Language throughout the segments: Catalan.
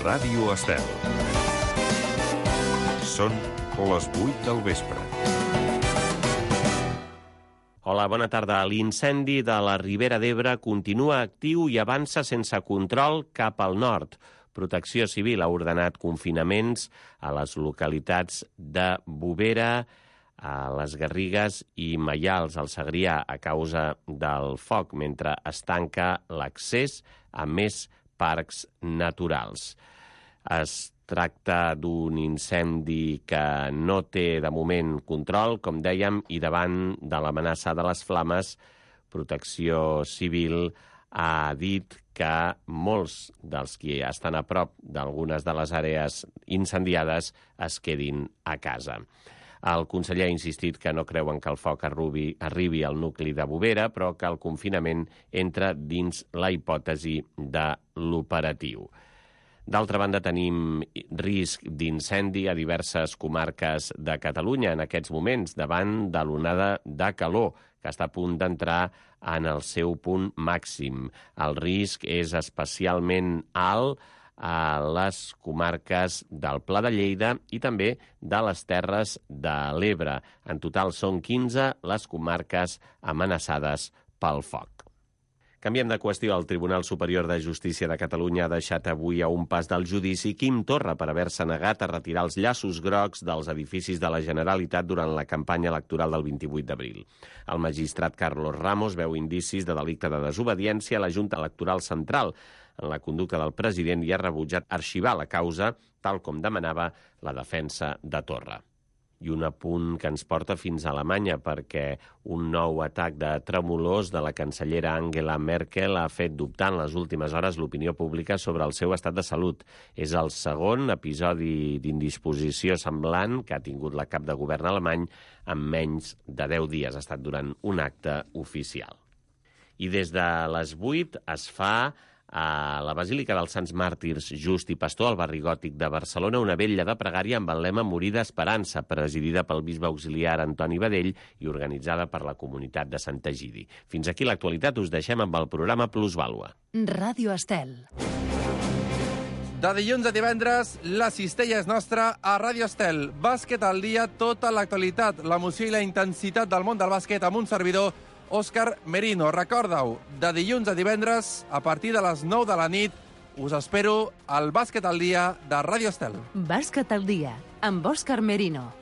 Ràdio Estel. Són les 8 del vespre. Hola, bona tarda. L'incendi de la Ribera d'Ebre continua actiu i avança sense control cap al nord. Protecció Civil ha ordenat confinaments a les localitats de Bovera, a les Garrigues i Maials, al Segrià, a causa del foc, mentre es tanca l'accés a més parcs naturals. Es tracta d'un incendi que no té de moment control, com dèiem, i davant de l'amenaça de les flames, Protecció Civil ha dit que molts dels qui estan a prop d'algunes de les àrees incendiades es quedin a casa. El conseller ha insistit que no creuen que el foc arribi al nucli de Bovera, però que el confinament entra dins la hipòtesi de l'operatiu. D'altra banda, tenim risc d'incendi a diverses comarques de Catalunya en aquests moments, davant de l'onada de calor, que està a punt d'entrar en el seu punt màxim. El risc és especialment alt a les comarques del Pla de Lleida i també de les Terres de l'Ebre. En total són 15 les comarques amenaçades pel foc. Canviem de qüestió. El Tribunal Superior de Justícia de Catalunya ha deixat avui a un pas del judici Quim Torra per haver-se negat a retirar els llaços grocs dels edificis de la Generalitat durant la campanya electoral del 28 d'abril. El magistrat Carlos Ramos veu indicis de delicte de desobediència a la Junta Electoral Central en la conducta del president i ha rebutjat arxivar la causa, tal com demanava la defensa de Torra. I un apunt que ens porta fins a Alemanya, perquè un nou atac de tremolors de la cancellera Angela Merkel ha fet dubtar en les últimes hores l'opinió pública sobre el seu estat de salut. És el segon episodi d'indisposició semblant que ha tingut la cap de govern alemany en menys de 10 dies. Ha estat durant un acte oficial. I des de les 8 es fa a la Basílica dels Sants Màrtirs Just i Pastor, al barri gòtic de Barcelona, una vetlla de pregària amb el lema Morir d'Esperança, presidida pel bisbe auxiliar Antoni Badell i organitzada per la comunitat de Sant Egidi. Fins aquí l'actualitat, us deixem amb el programa Plusvàlua. Ràdio Estel. De dilluns a divendres, la cistella és nostra a Ràdio Estel. Bàsquet al dia, tota l'actualitat, l'emoció i la intensitat del món del bàsquet amb un servidor, Òscar Merino. Recorda-ho, de dilluns a divendres, a partir de les 9 de la nit, us espero al Bàsquet al dia de Ràdio Estel. Bàsquet al dia, amb Òscar Merino.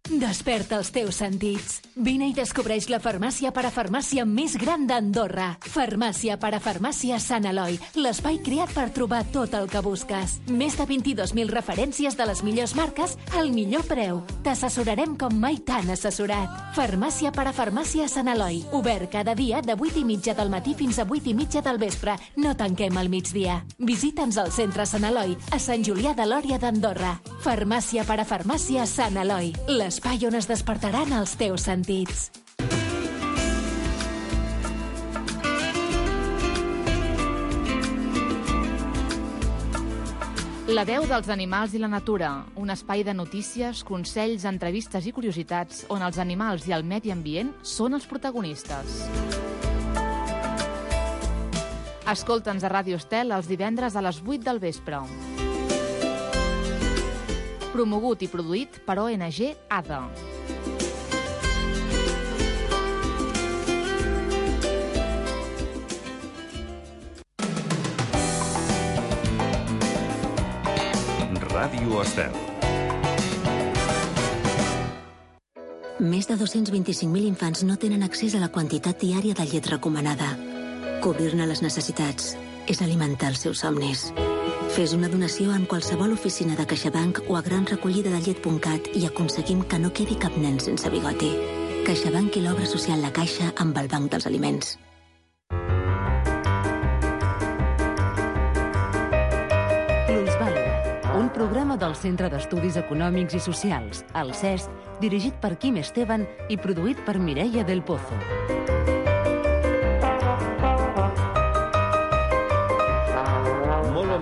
Desperta els teus sentits. Vine i descobreix la farmàcia parafarmàcia més gran d'Andorra. Farmàcia parafarmàcia Sant Eloi, l'espai creat per trobar tot el que busques. Més de 22.000 referències de les millors marques al millor preu. T'assessorarem com mai t'han assessorat. Farmàcia parafarmàcia Sant Eloi, obert cada dia de 8:30 del matí fins a 8:30 del vespre. No tanquem al migdia. Visita'ns al centre Sant Eloi, a Sant Julià de Lòria d'Andorra. Farmàcia parafarmàcia Sant Eloi, l'espai on es despertaran els teus sentits. La veu dels animals i la natura, un espai de notícies, consells, entrevistes i curiositats on els animals i el medi ambient són els protagonistes. Escolta'ns a Ràdio Estel els divendres a les 8 del vespre. Promogut i produït per ONG ADA. Ràdio Estel. Més de 225.000 infants no tenen accés a la quantitat diària de llet recomanada. Cobrir-ne les necessitats és alimentar els seus somnis. Fes una donació en qualsevol oficina de CaixaBank o a granrecollidadellet.cat i aconseguim que no quedi cap nen sense bigoti. CaixaBank i l'obra social La Caixa amb el Banc dels Aliments. Plusvàlua, un programa del Centre d'Estudis Econòmics i Socials, el CEST, dirigit per Quim Esteban i produït per Mireia del Pozo.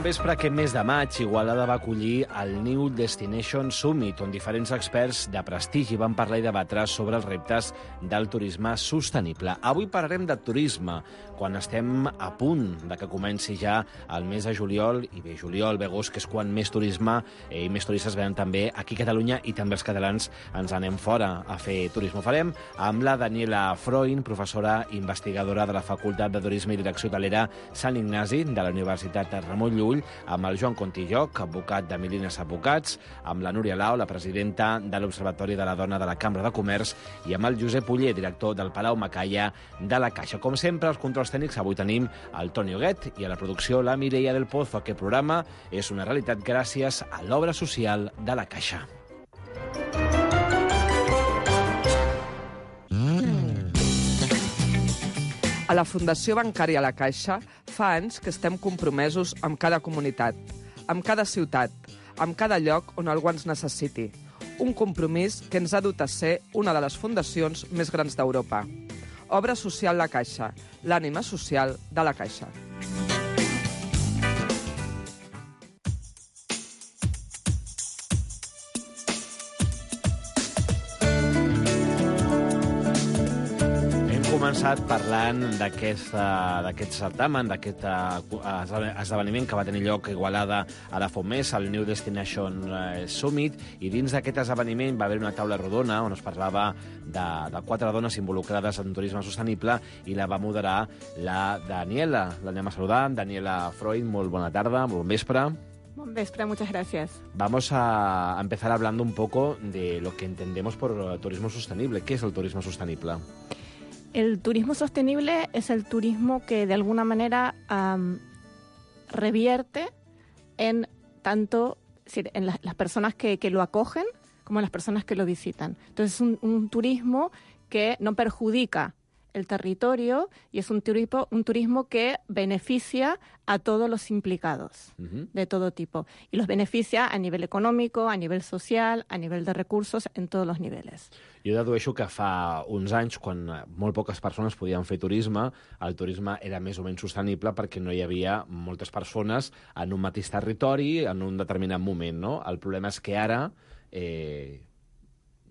vespre aquest mes de maig, Igualada va acollir el New Destination Summit, on diferents experts de prestigi van parlar i debatre sobre els reptes del turisme sostenible. Avui parlarem de turisme, quan estem a punt de que comenci ja el mes de juliol, i bé, juliol, bé, agost, que és quan més turisme i més turistes venen també aquí a Catalunya, i també els catalans ens anem fora a fer turisme. Ho farem amb la Daniela Freund, professora investigadora de la Facultat de Turisme i Direcció Hotelera Sant Ignasi de la Universitat Ramon Llull, amb el Joan Contilloc, advocat de Milines Advocats, amb la Núria Lau, la presidenta de l'Observatori de la Dona de la Cambra de Comerç, i amb el Josep Oller, director del Palau Macaya de la Caixa. Com sempre, els controls tècnics, avui tenim el Toni Huguet i a la producció la Mireia del Pozo. Aquest programa és una realitat gràcies a l'obra social de la Caixa. A la Fundació Bancària La Caixa fa anys que estem compromesos amb cada comunitat, amb cada ciutat, amb cada lloc on algú ens necessiti. Un compromís que ens ha dut a ser una de les fundacions més grans d'Europa. Obra social La Caixa, l'ànima social de la Caixa. Començat parlant d'aquest certamen, d'aquest esdeveniment que va tenir lloc a Igualada ara fa un mes, el New Destination Summit, i dins d'aquest esdeveniment va haver una taula rodona on es parlava de 4 dones involucrades en turisme sostenible, i la va moderar la Daniela. L'anem a saludar. Daniela Freund, molt bona tarda, molt bon vespre. Buen vespre, muchas gracias. Vamos a empezar hablando un poco de lo que entendemos por turismo sostenible. ¿Qué es el turismo sostenible? El turismo sostenible es el turismo que de alguna manera revierte en tanto en las personas que lo acogen como en las personas que lo visitan. Entonces es un turismo que no perjudica el territorio y es un turismo que beneficia a todos los implicados de todo tipo. Y los beneficia a nivel econòmic, a nivell social, a nivell de recursos, en tots els nivells. Jo dedueixo que fa uns anys, quan molt poques persones podien fer turisme, el turisme era més o menys sostenible perquè no hi havia moltes persones en un mateix territori en un determinat moment, no? El problema és que ara hi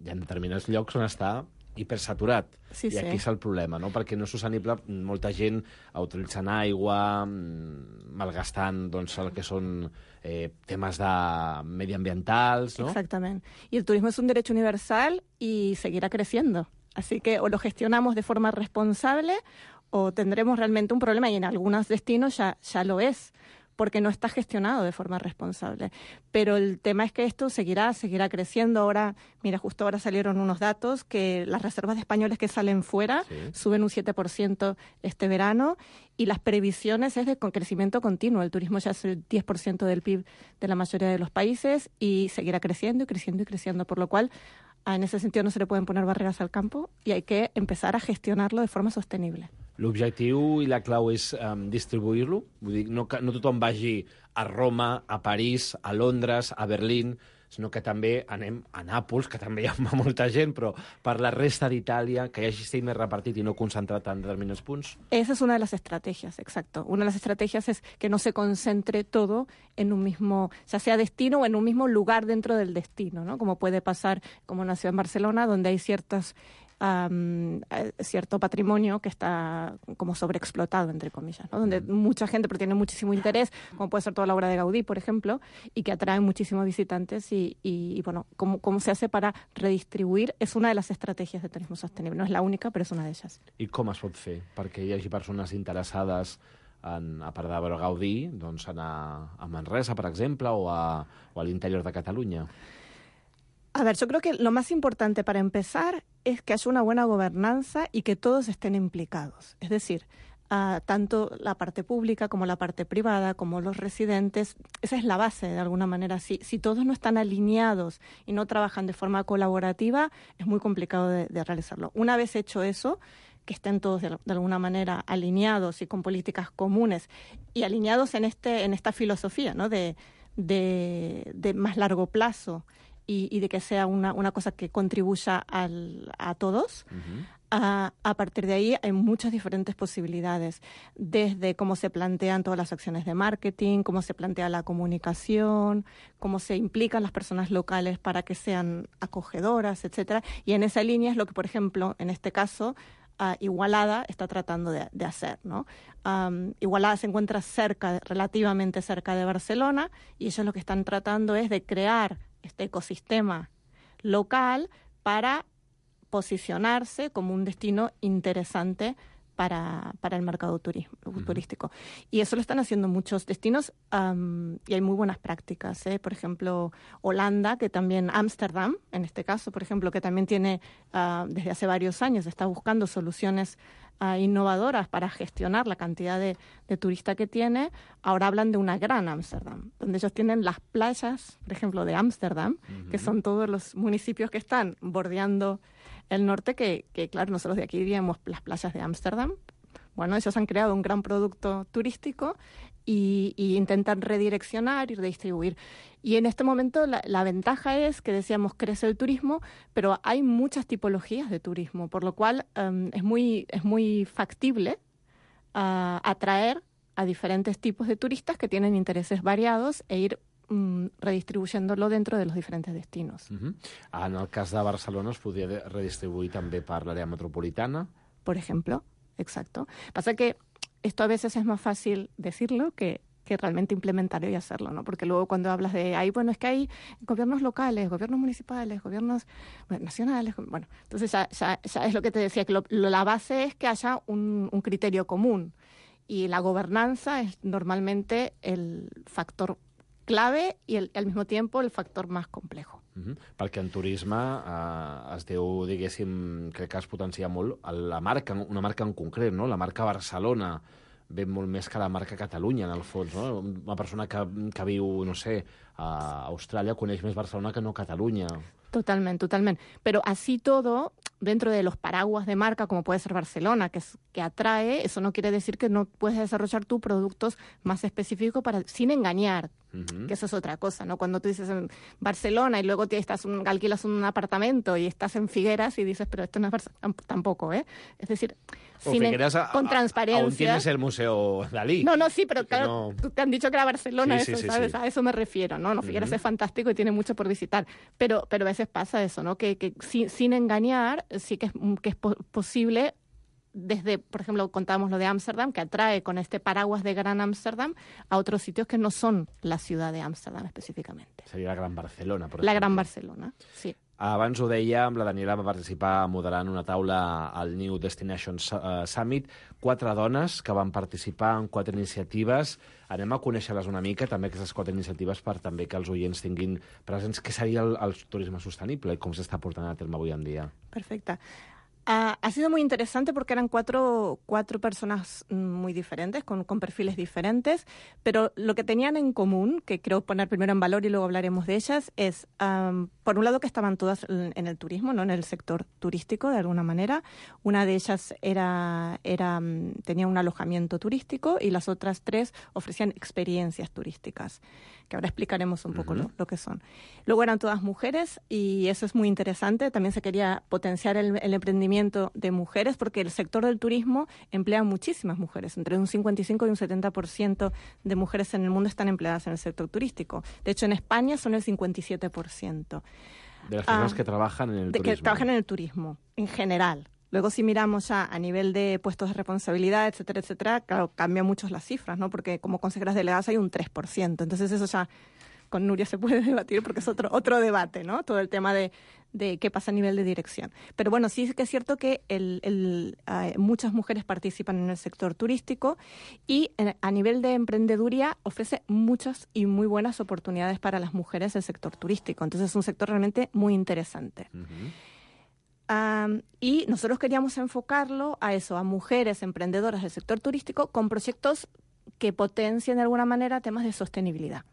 ha determinats llocs on està hipersaturat. Sí, I aquí és el problema, no? Perquè no és sostenible, molta gent utilitzant aigua, malgastant doncs, el que són temes medioambientals, ¿no? Exactamente. Y el turismo es un derecho universal y seguirá creciendo. Así que o lo gestionamos de forma responsable o tendremos realmente un problema, y en algunos destinos ya lo es, porque no está gestionado de forma responsable. Pero el tema es que esto seguirá creciendo. Ahora, mira, justo ahora salieron unos datos que las reservas de españoles que salen fuera suben un 7% este verano, y las previsiones es de crecimiento continuo. El turismo ya es el 10% del PIB de la mayoría de los países y seguirá creciendo y creciendo y creciendo, por lo cual en ese sentido no se le pueden poner barreras al campo y hay que empezar a gestionarlo de forma sostenible. L'objectiu i la clau és distribuir-lo? Vull dir, no tothom vagi a Roma, a París, a Londres, a Berlín, sinó que també anem a Nàpols, que també hi ha molta gent, però per la resta d'Itàlia, que hi hagi estat més repartit i no concentrat en determinats punts? Esa es una de las estrategias, exacto. Una de las estrategias es que no se concentre todo en un mismo, ya sea destino o en un mismo lugar dentro del destino, ¿no? Como puede pasar, como en la ciudad de Barcelona, donde hay cierto patrimonio que está como sobreexplotado, entre comillas, ¿no? Donde mucha gente, pero tiene muchísimo interés, como puede ser toda la obra de Gaudí, por ejemplo, y que atrae muchísimos visitantes y bueno, ¿cómo se hace para redistribuir? Es una de las estrategias de turismo sostenible. No es la única, però és una d'elles. I com es pot fer perquè hi hagi persones interessades a part de veure Gaudí, doncs anar a Manresa, per exemple, o a l'interior de Catalunya? A ver, yo creo que lo más importante para empezar es que haya una buena gobernanza y que todos estén implicados. Es decir, tanto la parte pública como la parte privada, como los residentes, esa es la base de alguna manera. Si todos no están alineados y no trabajan de forma colaborativa, es muy complicado de realizarlo. Una vez hecho eso, que estén todos de alguna manera alineados y con políticas comunes y alineados en esta filosofía, ¿no? de más largo plazo y de que sea una cosa que contribuya a todos. A partir de ahí hay muchas diferentes posibilidades, desde cómo se plantean todas las acciones de marketing, cómo se plantea la comunicación, cómo se implican las personas locales para que sean acogedoras, etcétera. Y en esa línea es lo que, por ejemplo, en este caso, Igualada está tratando de hacer, ¿no? Igualada se encuentra relativamente cerca de Barcelona, y ellos lo que están tratando es de crear este ecosistema local para posicionarse como un destino interesante para el mercado turístico. Y eso lo están haciendo muchos destinos, y hay muy buenas prácticas, Por ejemplo, Holanda, que también Ámsterdam, en este caso, por ejemplo, que también tiene, desde hace varios años, está buscando soluciones innovadoras para gestionar la cantidad de turistas que tiene. Ahora hablan de una gran Ámsterdam, donde ellos tienen las playas, por ejemplo, de Ámsterdam, que son todos los municipios que están bordeando el norte, que claro, nosotros de aquí diríamos las playas de Ámsterdam. Bueno, ellos han creado un gran producto turístico y intentan redireccionar y redistribuir. Y en este momento la ventaja es que, decíamos, crece el turismo, pero hay muchas tipologías de turismo, por lo cual es muy factible atraer a diferentes tipos de turistas que tienen intereses variados e ir redistribuyéndolo dentro de los diferentes destinos. En el cas de Barcelona es podria redistribuir també per l'àrea metropolitana. Por ejemplo, exacto. Pasa que esto a veces es más fácil decirlo que realmente implementarlo y hacerlo, ¿no? Porque luego cuando hablas de bueno, es que hay gobiernos locales, gobiernos municipales, gobiernos nacionales, bueno, entonces ya es lo que te decía, que la base es que haya un criterio común, y la gobernanza es normalmente el factor clave i al mismo tiempo el factor más complejo. Perquè en turisme es diu, diguéssim, crec que es potencia molt una marca en concret, no? La marca Barcelona ve molt més que la marca Catalunya, en el fons, no? Una persona que viu, no sé, a Austràlia coneix més Barcelona que no Catalunya. Totalmente. Pero así todo, dentro de los paraguas de marca, como puede ser Barcelona, que atrae, eso no quiere decir que no puedes desarrollar tus productos más específicos sin engañar, que eso es otra cosa, ¿no? Cuando tú dices en Barcelona y luego alquilas un apartamento y estás en Figueras y dices, pero esto no es Barcelona, tampoco, Es decir, con transparencia. Aún tienes el Museo Dalí. No, sí, pero claro, no... te han dicho que era Barcelona, sí, ¿sabes? Sí. A eso me refiero, ¿no? Figueras es fantástico y tiene mucho por visitar, pero a veces pasa eso, ¿no? Que sin engañar, sí que es posible. Desde, por ejemplo, contábamos lo de Ámsterdam, que atrae con este paraguas de Gran Ámsterdam a otros sitios que no son la ciudad de Ámsterdam específicamente. Seria la Gran Barcelona, per exemple. La Gran Barcelona, sí. Abans ho dèiem, la Daniela va participar moderant una taula al New Destinations Summit. 4 dones que van participar en 4 iniciatives. Anem a conèixer-les una mica, també aquestes 4 iniciatives, per també que els oients tinguin presents què seria el turisme sostenible i com s'està portant a terme avui en dia. Perfecte. Ha sido muy interesante porque eran cuatro personas muy diferentes, con perfiles diferentes, pero lo que tenían en común, que creo poner primero en valor y luego hablaremos de ellas, es, por un lado, que estaban todas en el turismo, ¿no? En el sector turístico, de alguna manera. Una de ellas tenía un alojamiento turístico y las otras 3 ofrecían experiencias turísticas, que ahora explicaremos un poco lo que son. Luego eran todas mujeres y eso es muy interesante. También se quería potenciar el emprendimiento de mujeres, porque el sector del turismo emplea muchísimas mujeres. Entre un 55 y un 70% de mujeres en el mundo están empleadas en el sector turístico. De hecho, en España son el 57%. De las personas que trabajan en el turismo. Que trabajan en el turismo, en general. Luego, si miramos ya a nivel de puestos de responsabilidad, etcétera, claro, cambian mucho las cifras, ¿no? Porque como consejeras delegadas hay un 3%. Entonces, eso ya con Nuria se puede debatir porque es otro debate, ¿no? Todo el tema de qué pasa a nivel de dirección. Pero bueno, sí que es cierto que muchas mujeres participan en el sector turístico y a nivel de emprendeduría ofrece muchas y muy buenas oportunidades para las mujeres el sector turístico. Entonces es un sector realmente muy interesante. Y nosotros queríamos enfocarlo a eso, a mujeres emprendedoras del sector turístico con proyectos que potencien de alguna manera temas de sostenibilidad,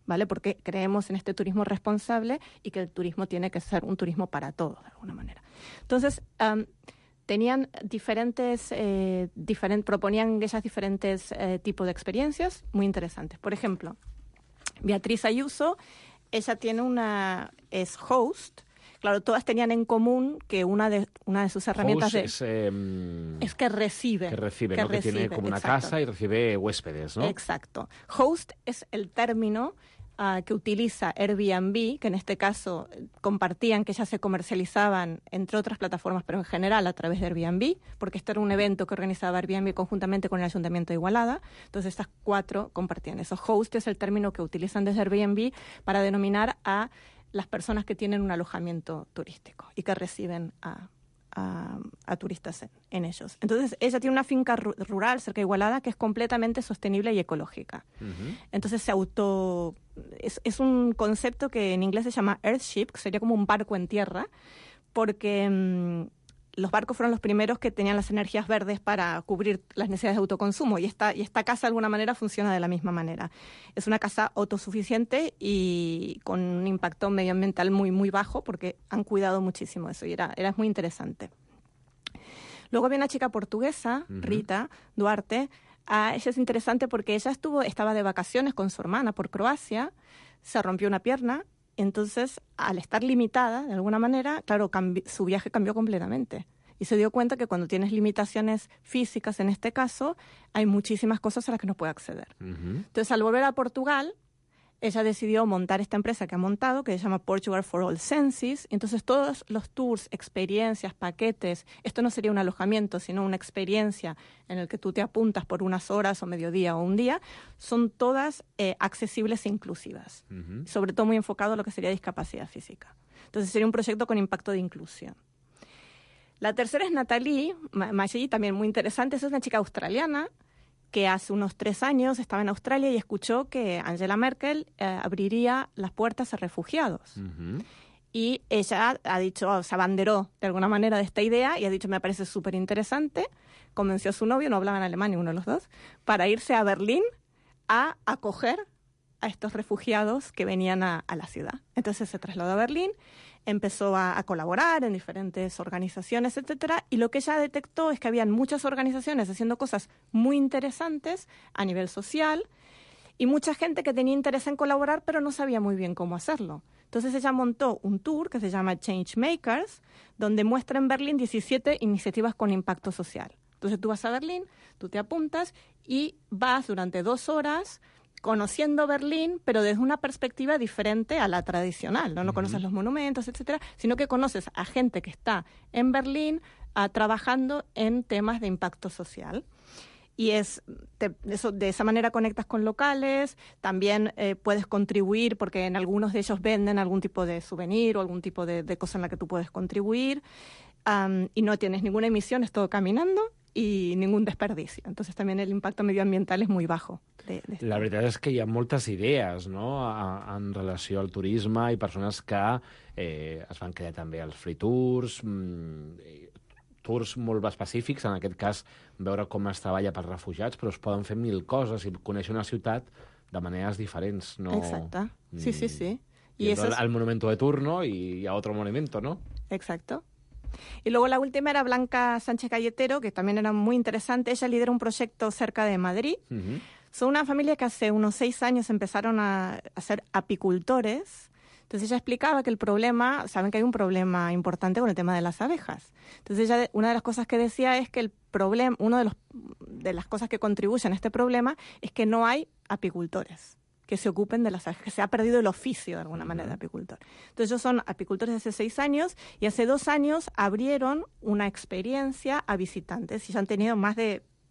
¿vale? Porque creemos en este turismo responsable y que el turismo tiene que ser un turismo para todos, de alguna manera. Entonces, tenían proponían ellas diferentes tipos de experiencias muy interesantes. Por ejemplo, Beatriz Ayuso ella es host. Claro, todas tenían en común que una de sus herramientas host es que recibe. Que tiene como una casa y recibe huéspedes, ¿no? Exacto. Host es el término que utiliza Airbnb, que en este caso compartían que ya se comercializaban entre otras plataformas, pero en general a través de Airbnb, porque este era un evento que organizaba Airbnb conjuntamente con el Ayuntamiento de Igualada. Entonces estas 4 compartían eso. Host es el término que utilizan desde Airbnb para denominar a las personas que tienen un alojamiento turístico y que reciben a turistas en ellos. Entonces, ella tiene una finca rural cerca de Igualada que es completamente sostenible y ecológica. Entonces, es un concepto que en inglés se llama Earthship, que sería como un barco en tierra, porque los barcos fueron los primeros que tenían las energías verdes para cubrir las necesidades de autoconsumo, y esta casa de alguna manera funciona de la misma manera. Es una casa autosuficiente y con un impacto medioambiental muy, muy bajo, porque han cuidado muchísimo eso y era muy interesante. Luego había una chica portuguesa, Rita Duarte. Ella es interesante porque ella estaba de vacaciones con su hermana por Croacia, se rompió una pierna. Entonces, al estar limitada, de alguna manera, claro, su viaje cambió completamente. Y se dio cuenta que cuando tienes limitaciones físicas, en este caso, hay muchísimas cosas a las que no puede acceder. Entonces, al volver a Portugal, ella decidió montar esta empresa que ha montado, que se llama Portugal for All Senses. Entonces, todos los tours, experiencias, paquetes, esto no sería un alojamiento, sino una experiencia en el que tú te apuntas por unas horas o mediodía o un día, son todas accesibles e inclusivas. Sobre todo muy enfocado a lo que sería discapacidad física. Entonces, sería un proyecto con impacto de inclusión. La tercera es Nathalie Maggi, también muy interesante. Es una chica australiana que hace unos 3 años estaba en Australia y escuchó que Angela Merkel abriría las puertas a refugiados. Y ella ha dicho, se abanderó de alguna manera de esta idea y ha dicho, me parece súper interesante. Convenció a su novio, no hablaban alemán ninguno de los dos, para irse a Berlín a acoger a estos refugiados que venían a la ciudad. Entonces se trasladó a Berlín, empezó a colaborar en diferentes organizaciones, etcétera, y lo que ella detectó es que habían muchas organizaciones haciendo cosas muy interesantes a nivel social y mucha gente que tenía interés en colaborar pero no sabía muy bien cómo hacerlo. Entonces ella montó un tour que se llama Changemakers, donde muestra en Berlín 17 iniciativas con impacto social. Entonces tú vas a Berlín, tú te apuntas y vas durante 2 horas conociendo Berlín, pero desde una perspectiva diferente a la tradicional, ¿no? No conoces los monumentos, etcétera, sino que conoces a gente que está en Berlín trabajando en temas de impacto social. Y de esa manera conectas con locales, también puedes contribuir, porque en algunos de ellos venden algún tipo de souvenir o algún tipo de cosa en la que tú puedes contribuir, y no tienes ninguna emisión, es todo caminando, i ningú desperdici. Entonces també l'impacte medioambiental és molt bajo. La veritat és que hi ha moltes idees, no?, en relació al turisme i persones que es van crear també els free tours, tours molt específics, en aquest cas veure com es treballa per refugiats, però es poden fer 1000 coses i conèixer una ciutat de maneres diferents. No... Exacte, sí, sí, sí. Y eso al monumento de turno y a otro monumento, ¿no? Exacto. Y luego la última era Blanca Sánchez Galletero, que también era muy interesante. Ella lidera un proyecto cerca de Madrid. Son una familia que hace unos 6 años empezaron a ser apicultores. Entonces ella explicaba que el problema, saben que hay un problema importante con el tema de las abejas. Entonces ella, una de las cosas que decía es que el problema, de las cosas que contribuyen a este problema es que no hay apicultores que se ocupen de las abejas, que se ha perdido el oficio de alguna manera de apicultor. Entonces ellos son apicultores de hace 6 años y hace 2 años abrieron una experiencia a visitantes y ya han tenido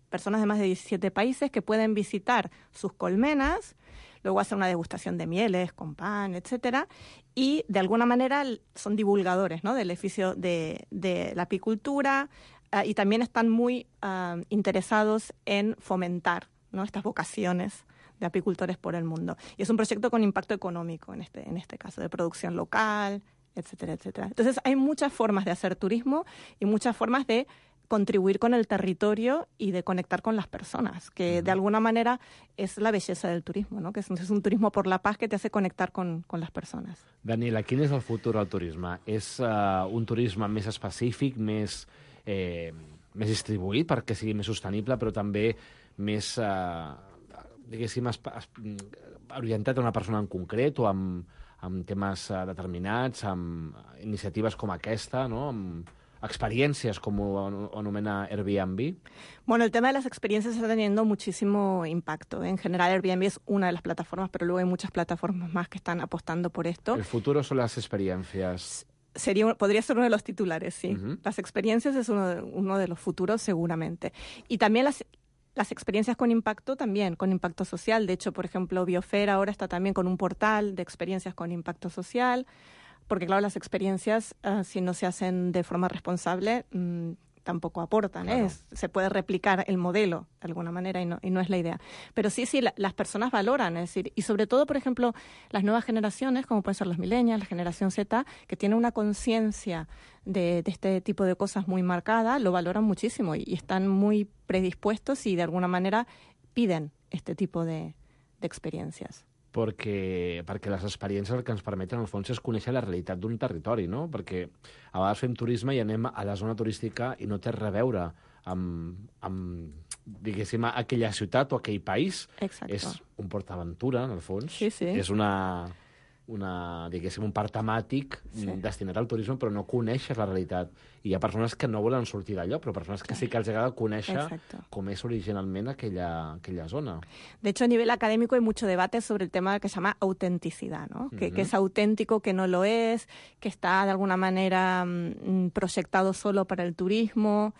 personas de más de 17 países que pueden visitar sus colmenas, luego hacer una degustación de mieles con pan, etcétera, y de alguna manera son divulgadores, ¿no?, del oficio de la apicultura, y también están muy interesados en fomentar, ¿no?, estas vocaciones de apicultores por el mundo. Y es un proyecto con impacto económico en este caso, de producción local, etcétera, etcétera. Entonces hay muchas formas de hacer turismo y muchas formas de contribuir con el territorio y de conectar con las personas, que de alguna manera es la bellesa del turismo, ¿no?, que es un turismo por la paz que te hace conectar con las personas. Daniela, quin és el futur del turisme? És un turisme més específic, més distribuït perquè sigui més sostenible, però també més... diguéssim, orientat a una persona en concret o amb amb temes determinats, amb iniciatives com aquesta, no? Amb experiencias, como anomena Airbnb? Bueno, el tema de las experiencias está teniendo muchísimo impacto. En general, Airbnb es una de las plataformas, pero luego hay muchas plataformas más que están apostando por esto. El futuro son las experiencias. Podría ser uno de los titulares, sí. Las experiencias es uno de los futuros, seguramente. Y también las experiencias con impacto también, con impacto social. De hecho, por ejemplo, Biosfera ahora está también con un portal de experiencias con impacto social. Porque, claro, las experiencias, si no se hacen de forma responsable, tampoco aportan. Claro. Se puede replicar el modelo de alguna manera y no es la idea. Pero sí, las personas valoran, es decir, y sobre todo, por ejemplo, las nuevas generaciones, como pueden ser los millennials, la generación Z, que tienen una conciencia de este tipo de cosas muy marcada, lo valoran muchísimo y están muy predispuestos y de alguna manera piden este tipo de experiencias. Perquè les experiències el que ens permeten, al fons, és conèixer la realitat d'un territori, no? Perquè a vegades fem turisme i anem a la zona turística i no té res a veure amb diguéssim, aquella ciutat o aquell país. Exacte. És un PortAventura, en el fons. Sí, sí. És diguéssim, un parc temàtic destinat al turisme, però no coneixes la realitat. I hi ha persones que no volen sortir d'allò, però persones que sí que els agrada conèixer com és originalment aquella zona. De hecho, a nivel académico hay mucho debate sobre el tema que se llama autenticidad, ¿no? Que es auténtico, que no lo es, que está de alguna manera proyectado solo para el turismo,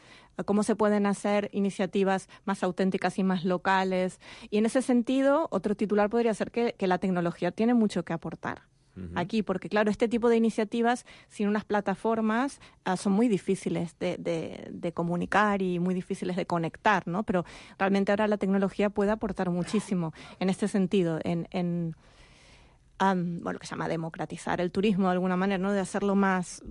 cómo se pueden hacer iniciativas más auténticas y más locales. Y en ese sentido, otro titular podría ser que la tecnología tiene mucho que aportar aquí, porque claro, este tipo de iniciativas sin unas plataformas son muy difíciles de comunicar y muy difíciles de conectar, ¿no? Pero realmente ahora la tecnología puede aportar muchísimo en este sentido, bueno, que se llama democratizar el turismo de alguna manera, ¿no? De hacerlo más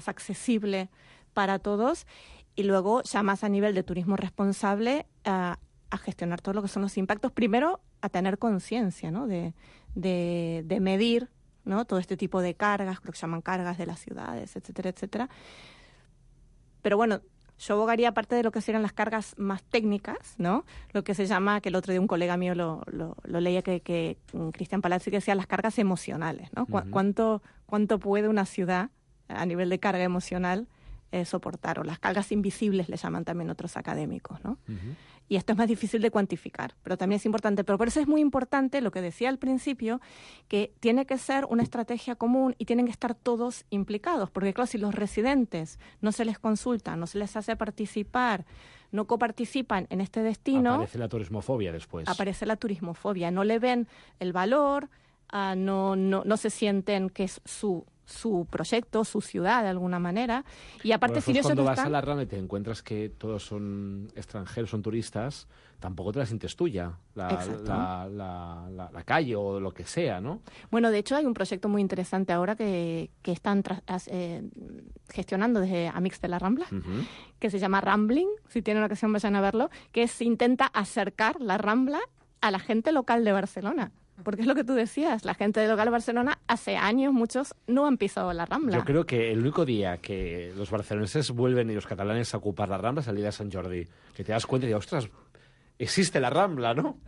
accesible para todos. Y luego, ya más a nivel de turismo responsable, a gestionar todo lo que son los impactos. Primero, a tener conciencia, ¿no? De medir, ¿no? Todo este tipo de cargas, creo que se llaman cargas de las ciudades, etcétera, etcétera. Pero bueno, yo abogaría, aparte de lo que serían las cargas más técnicas, ¿no? Lo que se llama, que el otro día un colega mío lo leía, que Cristian Palazzi, que decía las cargas emocionales, ¿no? ¿Cuánto puede una ciudad, a nivel de carga emocional, soportar? O las cargas invisibles le llaman también otros académicos, ¿no? Y esto es más difícil de cuantificar, pero también es importante. Pero por eso es muy importante lo que decía al principio, que tiene que ser una estrategia común y tienen que estar todos implicados, porque claro, si los residentes no se les consulta, no se les hace participar, no coparticipan en este destino... Aparece la turismofobia después. Aparece la turismofobia, no le ven el valor, no se sienten que es su proyecto, su ciudad de alguna manera, y aparte si ellos cuando no vas están... a la Rambla y te encuentras que todos son extranjeros, son turistas, tampoco te la sientes tuya, la calle o lo que sea, ¿no? Bueno, de hecho hay un proyecto muy interesante ahora que están gestionando desde Amics de la Rambla, que se llama Rambling, si tienen ocasión vayan a verlo, que intenta acercar la Rambla a la gente local de Barcelona. Porque es lo que tú decías, la gente de local de Barcelona hace años, muchos no han pisado la Rambla. Yo creo que el único día que los barceloneses vuelven y los catalanes a ocupar la Rambla es el día de Sant Jordi, que te das cuenta y dices, ostras, existe la Rambla, ¿no?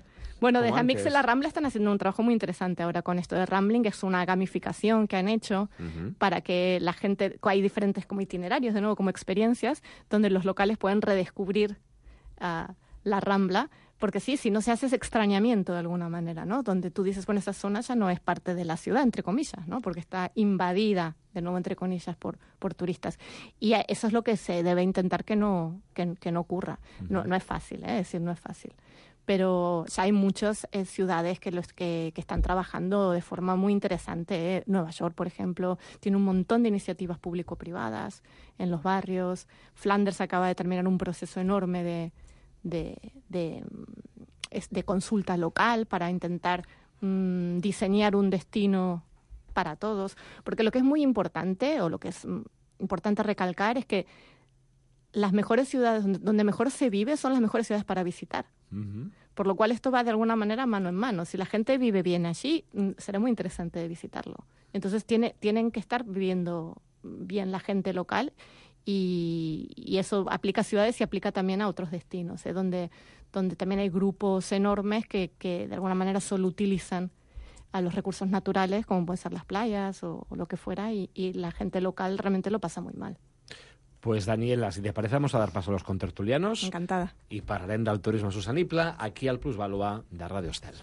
Bueno, desde Amics de la Rambla están haciendo un trabajo muy interesante ahora con esto de Rambling, que es una gamificación que han hecho para que la gente, hay diferentes como itinerarios, de nuevo, como experiencias, donde los locales pueden redescubrir la Rambla. Porque sí, si no se hace ese extrañamiento de alguna manera, ¿no? Donde tú dices, bueno, esa zona ya no es parte de la ciudad, entre comillas, ¿no? Porque está invadida, de nuevo, entre comillas, por turistas. Y eso es lo que se debe intentar que no ocurra. No es fácil, es decir, no es fácil. Pero ya hay muchas ciudades que están trabajando de forma muy interesante. Nueva York, por ejemplo, tiene un montón de iniciativas público-privadas en los barrios. Flanders acaba de terminar un proceso enorme de consulta local para intentar diseñar un destino para todos. Porque lo que es muy importante, o lo que es importante recalcar, es que las mejores ciudades donde mejor se vive son las mejores ciudades para visitar. Por lo cual esto va de alguna manera mano en mano. Si la gente vive bien allí, será muy interesante de visitarlo. Entonces tienen que estar viviendo bien la gente local. Y eso aplica a ciudades y aplica también a otros destinos, donde también hay grupos enormes que de alguna manera solo utilizan a los recursos naturales, como pueden ser las playas o lo que fuera, y la gente local realmente lo pasa muy mal. Pues, Daniela, si te parece, vamos a dar paso a los contertulianos. Encantada. I parlarem del turisme sostenible aquí al Plusvalua de Ràdio Estel.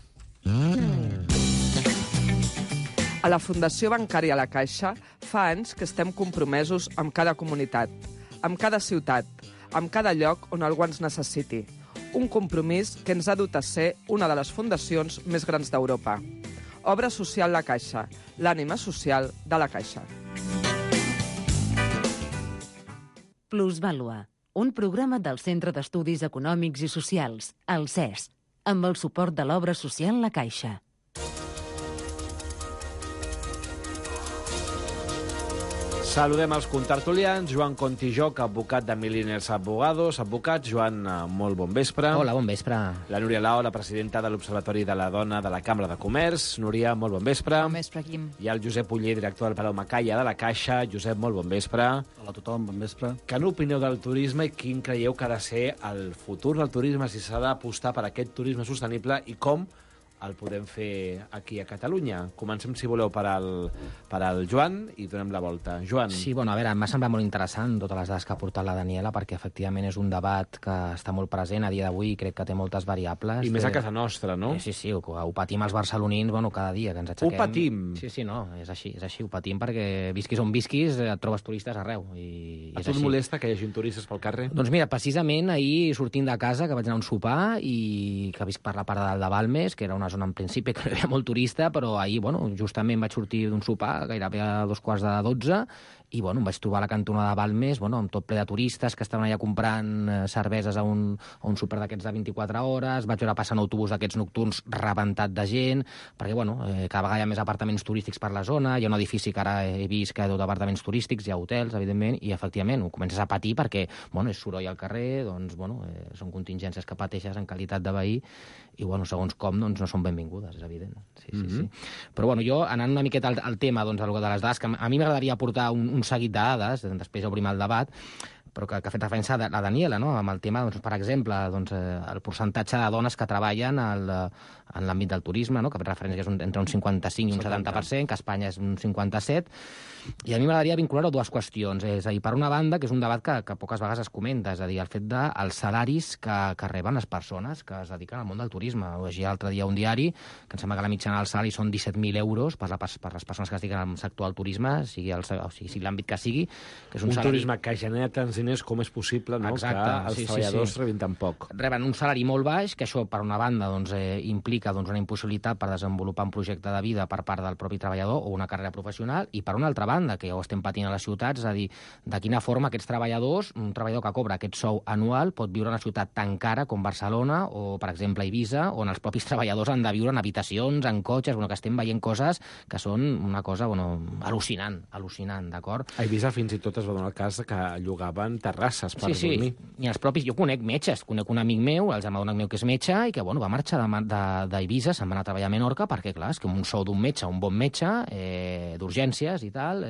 A la Fundació Bancària La Caixa fa anys que estem compromesos amb cada comunitat, amb cada ciutat, amb cada lloc on algú ens necessiti. Un compromís que ens ha dut a ser una de les fundacions més grans d'Europa. Obra Social La Caixa, l'ànima social de la Caixa. Plusvàlua, un programa del Centre d'Estudis Econòmics i Socials, el CES, amb el suport de l'Obra Social La Caixa. Saludem els contertulians. Joan Contijoc, advocat de Milliners Abogados. Advocat, Joan, molt bon vespre. Hola, bon vespre. La Núria Lao, la presidenta de l'Observatori de la Dona de la Cambra de Comerç. Núria, molt bon vespre. Bon vespre, Quim. I el Josep Uller, director del Palau Macaya de la Caixa. Josep, molt bon vespre. Hola a tothom, bon vespre. Què n'opineu del turisme i quin creieu que ha de ser el futur del turisme, si s'ha d'apostar per aquest turisme sostenible i com el podem fer aquí a Catalunya? Comencem, si voleu, per al Joan i donem la volta. Joan. Sí, bueno, a veure, m'ha semblat molt interessant totes les dades que ha portat la Daniela, perquè efectivament és un debat que està molt present a dia d'avui i crec que té moltes variables. I més a casa nostra, no? Sí, ho patim els barcelonins, bueno, cada dia que ens aixequem. Ho patim? Sí, no, és així, ho patim perquè visquis on visquis et trobes turistes arreu. A tu et molesta que hi hagi turistes pel carrer? Doncs mira, precisament ahir sortint de casa, que vaig anar a un sopar i que visc per la part de dalt de Balmes, que era una zona en principi que no hi havia molt turista, però ahir, bueno, justament vaig sortir d'un sopar gairebé a 2:45 i, bueno, em vaig trobar a la cantonada de Balmes, bueno, amb tot ple de turistes que estaven allà comprant cerveses a un súper d'aquests de 24 hores, vaig veure passar un autobús d'aquests nocturns rebentat de gent, perquè, bueno, cada vegada hi ha més apartaments turístics per la zona, hi ha un edifici que ara he vist que hi ha tot apartaments turístics, hi ha hotels, evidentment, i, efectivament, ho comences a patir perquè, bueno, és soroll al carrer, doncs, bueno, són contingències que pateixes en qualitat de veí, i, bueno, segons com, doncs, no són benvingudes, és evident. Sí. Però, bueno, jo, anant una miqueta al tema, doncs, de les dades, que a mi m'agradaria aportar un seguit de dades, després obrim el debat, però que ha fet referència a la Daniela, no? Amb el tema, doncs, per exemple, doncs, el percentatge de dones que treballen en l'àmbit del turisme, no? Que ha fet referència que és entre un 55 i un 70%, que a Espanya és un 57%, i a mi m'agradaria vincular-ho a dues qüestions. És a dir, per una banda, que és un debat que poques vegades es comenta, és a dir, el fet dels salaris que reben les persones que es dediquen al món del turisme. Ho llegia l'altre dia un diari, que em sembla que la mitjana del salari són 17.000 euros per les persones que es dediquen al sector del turisme, sigui l'àmbit que sigui, que és un salari... turisme que genera tants diners com és possible, no? Exacte, que els treballadors rebin tan poc. Reben un salari molt baix, que això, per una banda, doncs, implica una impossibilitat per desenvolupar un projecte de vida per part del propi treballador o una carrera professional, i per una altra banda, que ja ho estem patint a les ciutats, és a dir, de quina forma aquests treballadors, un treballador que cobra aquest sou anual, pot viure en una ciutat tan cara com Barcelona o, per exemple, Eivissa, on els propis treballadors han de viure en habitacions, en cotxes, que estem veient coses que són una cosa al·lucinant, d'acord? A Eivissa fins i tot es va donar el cas que llogaven terrasses per dormir. I els propis, jo conec metges, conec un amic meu, el germà d'un amic meu que és metge, i que, va marxar d'Eivissa, se'n va anar a treballar a Menorca, perquè, clar, és que un sou d'un metge, un bon metge, d'urgències i tal,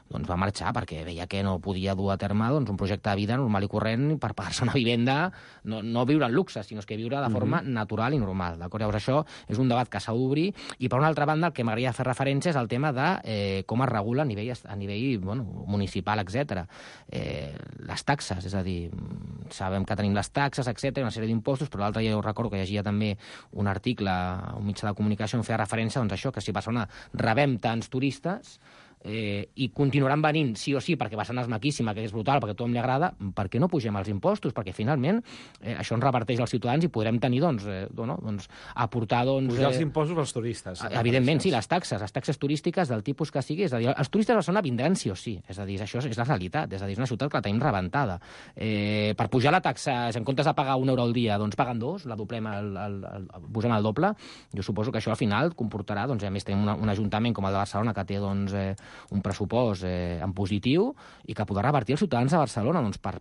doncs va marxar perquè veia que no podia dur a terme un projecte de vida normal i corrent per pagar-se una vivenda, no viure en luxe, sinó que viure de forma natural i normal, d'acord? Llavors això és un debat que s'ha d'obrir, i per una altra banda el que m'agradaria fer referència és al tema de com es regula a nivell municipal, etc. Les taxes, és a dir, sabem que tenim les taxes, etc., una sèrie d'impostos, però l'altre dia jo recordo que llegia també un article a un mitjà de comunicació on feia referència a això, que si a Barcelona rebem tants turistes i continuaran venint sí o sí perquè Barcelona és maquíssima, que és brutal, perquè a tothom li agrada, per què no pugem els impostos? Perquè finalment això ens reparteix als ciutadans i podrem tenir, aportar... Pujar els impostos als turistes. Evidentment, sí, les taxes turístiques del tipus que sigui, és a dir, els turistes a Barcelona vindran sí o sí, és a dir, això és la realitat, és a dir, és una ciutat que la tenim rebentada. Per pujar la taxa, en comptes de pagar €1 al dia, doncs paguen 2, la doblem, posem el doble, jo suposo que això al final comportarà, a més tenim un ajuntament com el de Barcelona que té un pressupost en positiu i que podrà revertir els ciutadans de Barcelona doncs, per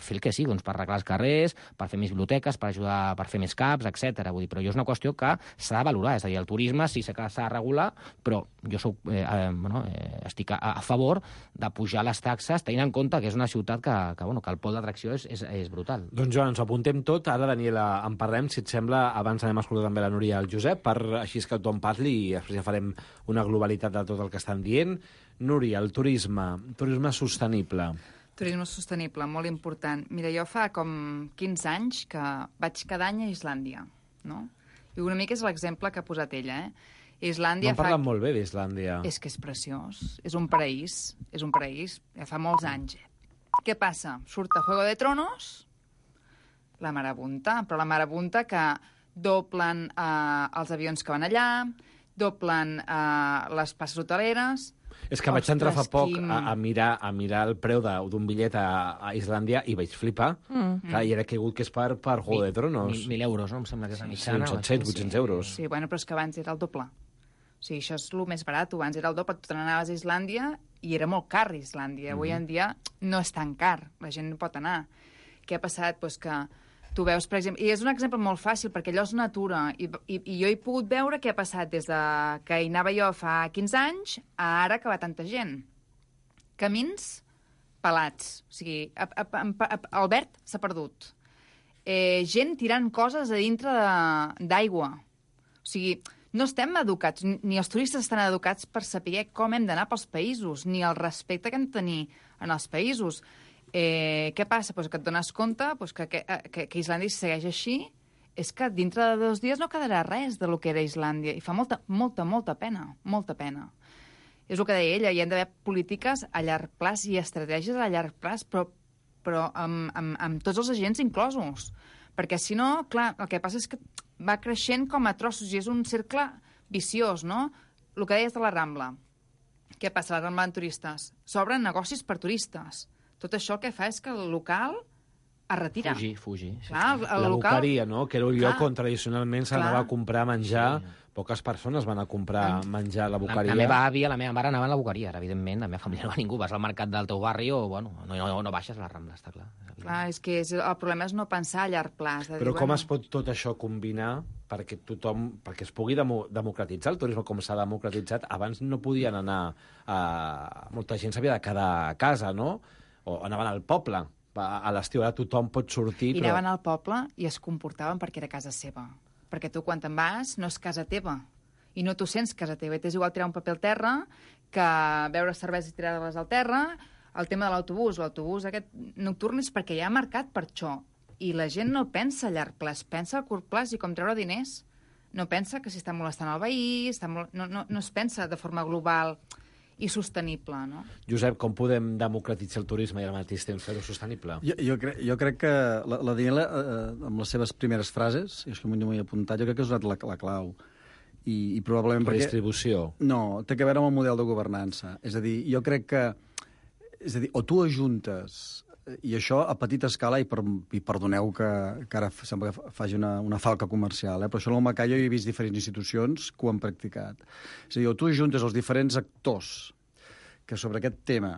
fer el que sigui, doncs, per arreglar els carrers, per fer més biblioteques, per ajudar per fer més CAPs, etc. Vull dir, però jo és una qüestió que s'ha de valorar. És a dir, el turisme sí que s'ha de regular, però jo estic a favor de pujar les taxes tenint en compte que és una ciutat que el pol d'atracció és brutal. Doncs Joan, ens apuntem tot. Ara, Daniela, en parlem, si et sembla. Abans anem a escoltar també la Núria i el Josep, així que tothom parli i després ja farem una globalitat de tot el que estan dient. Núria, el turisme sostenible. Turisme sostenible, molt important. Mira, jo fa com 15 anys que vaig cada any a Islàndia, no? I una mica és l'exemple que ha posat ella, Islàndia M'han parlat molt bé d'Islàndia. És que és preciós, és un paraís, ja fa molts anys. Què passa? Surt a Juego de Tronos, la marabunta, però la marabunta que doblen els avions que van allà, doblen les places hoteleres. És que vaig entrar fa poc a mirar el preu d'un bitllet a Islàndia i vaig flipar. Clar, i era caigut que és per Juego de Tronos. 1.000 euros, no? Em sembla que és la mitjana. 700, 800 euros. Sí, bueno, però és que abans era el doble. O sigui, això és el més barat. Abans era el doble. Tu te n'anaves a Islàndia i era molt car, Islàndia. Avui en dia no és tan car. La gent no pot anar. Què ha passat? Doncs que tu veus, per exemple... I és un exemple molt fàcil, perquè allò és natura. I jo he pogut veure què ha passat des de que hi anava jo fa 15 anys a ara que va tanta gent. Camins pelats. O sigui, el verd s'ha perdut. Gent tirant coses a dintre d'aigua. O sigui, no estem educats, ni els turistes estan educats per saber com hem d'anar pels països, ni el respecte que hem de tenir en els països. Què passa? Pues que et dones compte que Islàndia segueix així, és que dintre de 2 dies no quedarà res de lo que era Islàndia. I fa molta pena, molta pena. És el que deia ella, hi ha d'haver polítiques a llarg plaç i estratègies a llarg plaç, però amb tots els agents inclosos. Perquè si no, clar, el que passa és que va creixent com a trossos i és un cercle viciós, no? El que deies de la Rambla. Què passa a la Rambla en turistes? S'obren negocis per turistes. Tot això el que fa és que el local es retira. Fugir. Clar, la boqueria, no? Que era un lloc on tradicionalment s'anava a comprar menjar. Poques persones van a comprar menjar a la boqueria. La meva àvia, la meva mare anava a la boqueria, evidentment. La meva família no va ningú. Vas al mercat del teu barri o, no baixes a la Rambla, està clar. Clar, és que el problema és no pensar a llarg plaç. Però com es pot tot això combinar perquè es pugui democratitzar el turisme com s'ha democratitzat? Abans no podien anar molta gent s'havia de quedar a casa, no? O anaven al poble. A l'estiu ara tothom pot sortir, I anaven al poble i es comportaven perquè era casa seva. Perquè tu, quan te'n vas, no és casa teva. I no t'ho sents casa teva. I t'és igual tirar un paper al terra que veure cerveses tirades al terra. El tema de l'autobús aquest nocturn és perquè hi ha mercat per això. I la gent no pensa a llarg plaç, pensa a curt plaç i com treure diners. No pensa que si està molestant el veí, no es pensa de forma global i sostenible, no? Josep, com podem democratitzar el turisme i al mateix temps fer-ho sostenible? Jo crec que la Daniela, amb les seves primeres frases, i és que m'ho he apuntat, jo crec que ha usat la clau. I probablement perquè... Redistribució. No, té a veure amb el model de governança. És a dir, jo crec que... És a dir, o tu ajuntes... I això a petita escala, i perdoneu que ara sembla que faci una falca comercial, però això en el Macau jo he vist diferents institucions que ho han practicat. És a dir, o tu ajuntes els diferents actors que sobre aquest tema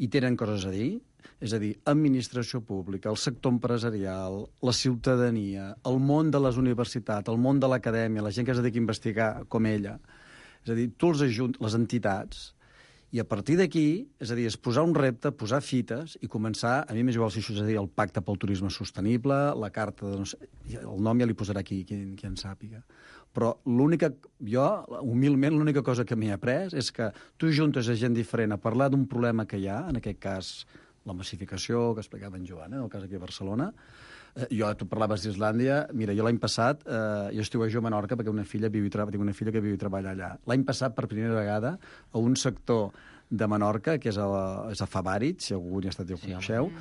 hi tenen coses a dir, és a dir, administració pública, el sector empresarial, la ciutadania, el món de les universitats, el món de l'acadèmia, la gent que es dedica a investigar com ella. És a dir, tu els ajuntes, les entitats, i a partir d'aquí, és a dir, és posar un repte, posar fites i començar, a mi m'és igual si això és a dir, el pacte pel turisme sostenible, la carta de... No sé, el nom ja li posarà aquí, qui en sàpiga. Però jo, humilment, l'única cosa que m'he après és que tu juntes a gent diferent a parlar d'un problema que hi ha, en aquest cas la massificació que explicava en Joan, el cas aquí a Barcelona. Tu parlaves d'Islàndia. Mira, jo l'any passat, jo estiuejo a Menorca perquè tinc una filla que viu i treballa allà. L'any passat, per primera vegada, a un sector de Menorca, que és a Favarit, si algú hi ha estat i ho coneixeu,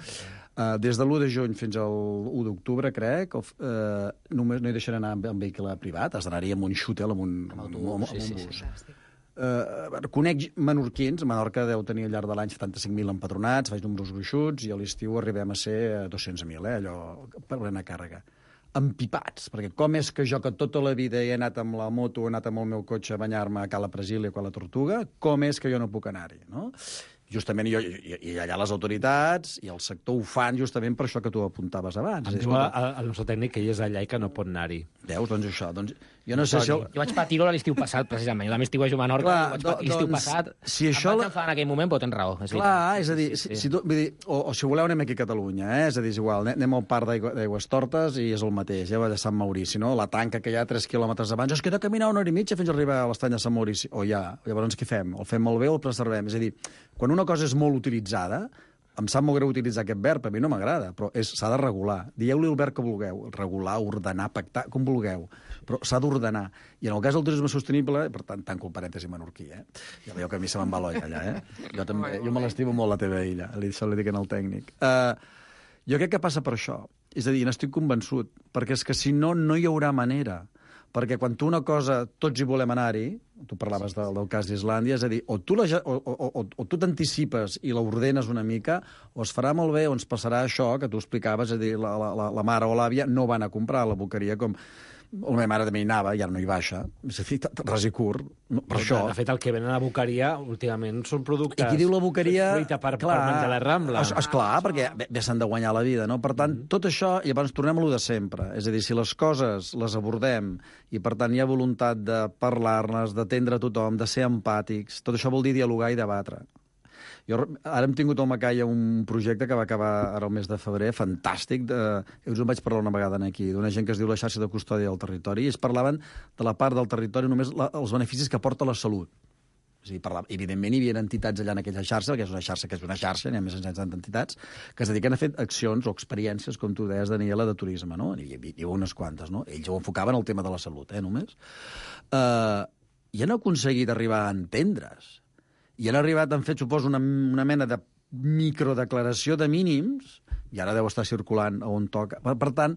des de l'1 de juny fins al 1 d'octubre, crec, només no hi deixarà anar amb vehicle privat, has d'anar-hi amb un xútel, amb un bus. Conec menorquins, Menorca deu tenir al llarg de l'any 75.000 empadronats, faig números gruixuts, i a l'estiu arribem a ser 200.000, allò per plena càrrega. empipats, perquè com és que jo, que tota la vida he anat amb la moto, he anat amb el meu cotxe a banyar-me a Cala Brasília o a la Tortuga, com és que jo no puc anar-hi, no? Justament, i allà les autoritats i el sector ho fan justament per això que tu apuntaves abans. Em diu el nostre tècnic que ell és allà i que no pot anar-hi. Veus, doncs això. Doncs, jo no sé si... Jo vaig patir-ho l'estiu passat, precisament. Jo també estiu a Menorca, vaig patir l'estiu passat. Si això... Em vaig enfadar en aquell moment, però tens raó. Clar, és a dir, o si voleu anem aquí a Catalunya, és a dir, és igual, anem al parc d'Aigües Tortes i és el mateix, ja va de Sant Maurici, no? La tanca que hi ha 3 quilòmetres abans, es queda a caminar 1 hora i mitja fins a arribar a l'estany de Sant Maurici. O ja, llavors què fem? El fem molt bé o el preservem? És a dir, quan una cosa és molt utilitzada, em sap molt greu utilitzar aquest verb, a mi no m'agrada, però s'ha de regular. Dieu-li el verb que vulgueu, regular, ordenar, pactar, com vulgueu, però s'ha d'ordenar. I en el cas del turisme sostenible, per tant, tanco el parèntesi menorquí, ja veieu que a mi se me'n va l'olla allà, Jo me l'estimo molt, la teva illa, això li dic al tècnic. Jo crec que passa per això, és a dir, n'estic convençut, perquè és que si no, no hi haurà manera. Perquè quan tu una cosa, tots hi volem anar-hi, tu parlaves del cas d'Islàndia, és a dir, o tu t'anticipes i l'ordenes una mica, o es farà molt bé, o ens passarà això que tu explicaves, és a dir, la mare o l'àvia no van a comprar a la boqueria com... La meva mare també hi anava, ja no hi baixa. És a dir, ras i curt, per això. De fet, el que venen a la boqueria últimament són productes... I qui diu la boqueria... Fruita per menjar la Rambla. Esclar, perquè bé s'han de guanyar la vida, no? Per tant, tot això, i llavors tornem a lo de sempre. És a dir, si les coses les abordem i, per tant, hi ha voluntat de parlar-les, d'atendre a tothom, de ser empàtics, tot això vol dir dialogar i debatre. Ara hem tingut al Macaya un projecte que va acabar ara el mes de febrer, fantàstic, us en vaig parlar una vegada aquí, d'una gent que es diu la xarxa de custòdia del territori, i es parlaven de la part del territori només els beneficis que aporta la salut. És a dir, evidentment hi havia entitats allà en aquella xarxa, que és una xarxa, n'hi ha més de 160 entitats, que es dediquen a fer accions o experiències, com tu deies, Daniela, de turisme, no? Hi havia unes quantes, no? Ells ho enfocaven al tema de la salut, només. I han aconseguit arribar a entendre's. I han arribat, han fet, suposo, una mena de microdeclaració de mínims, i ara deu estar circulant on toca. Per tant,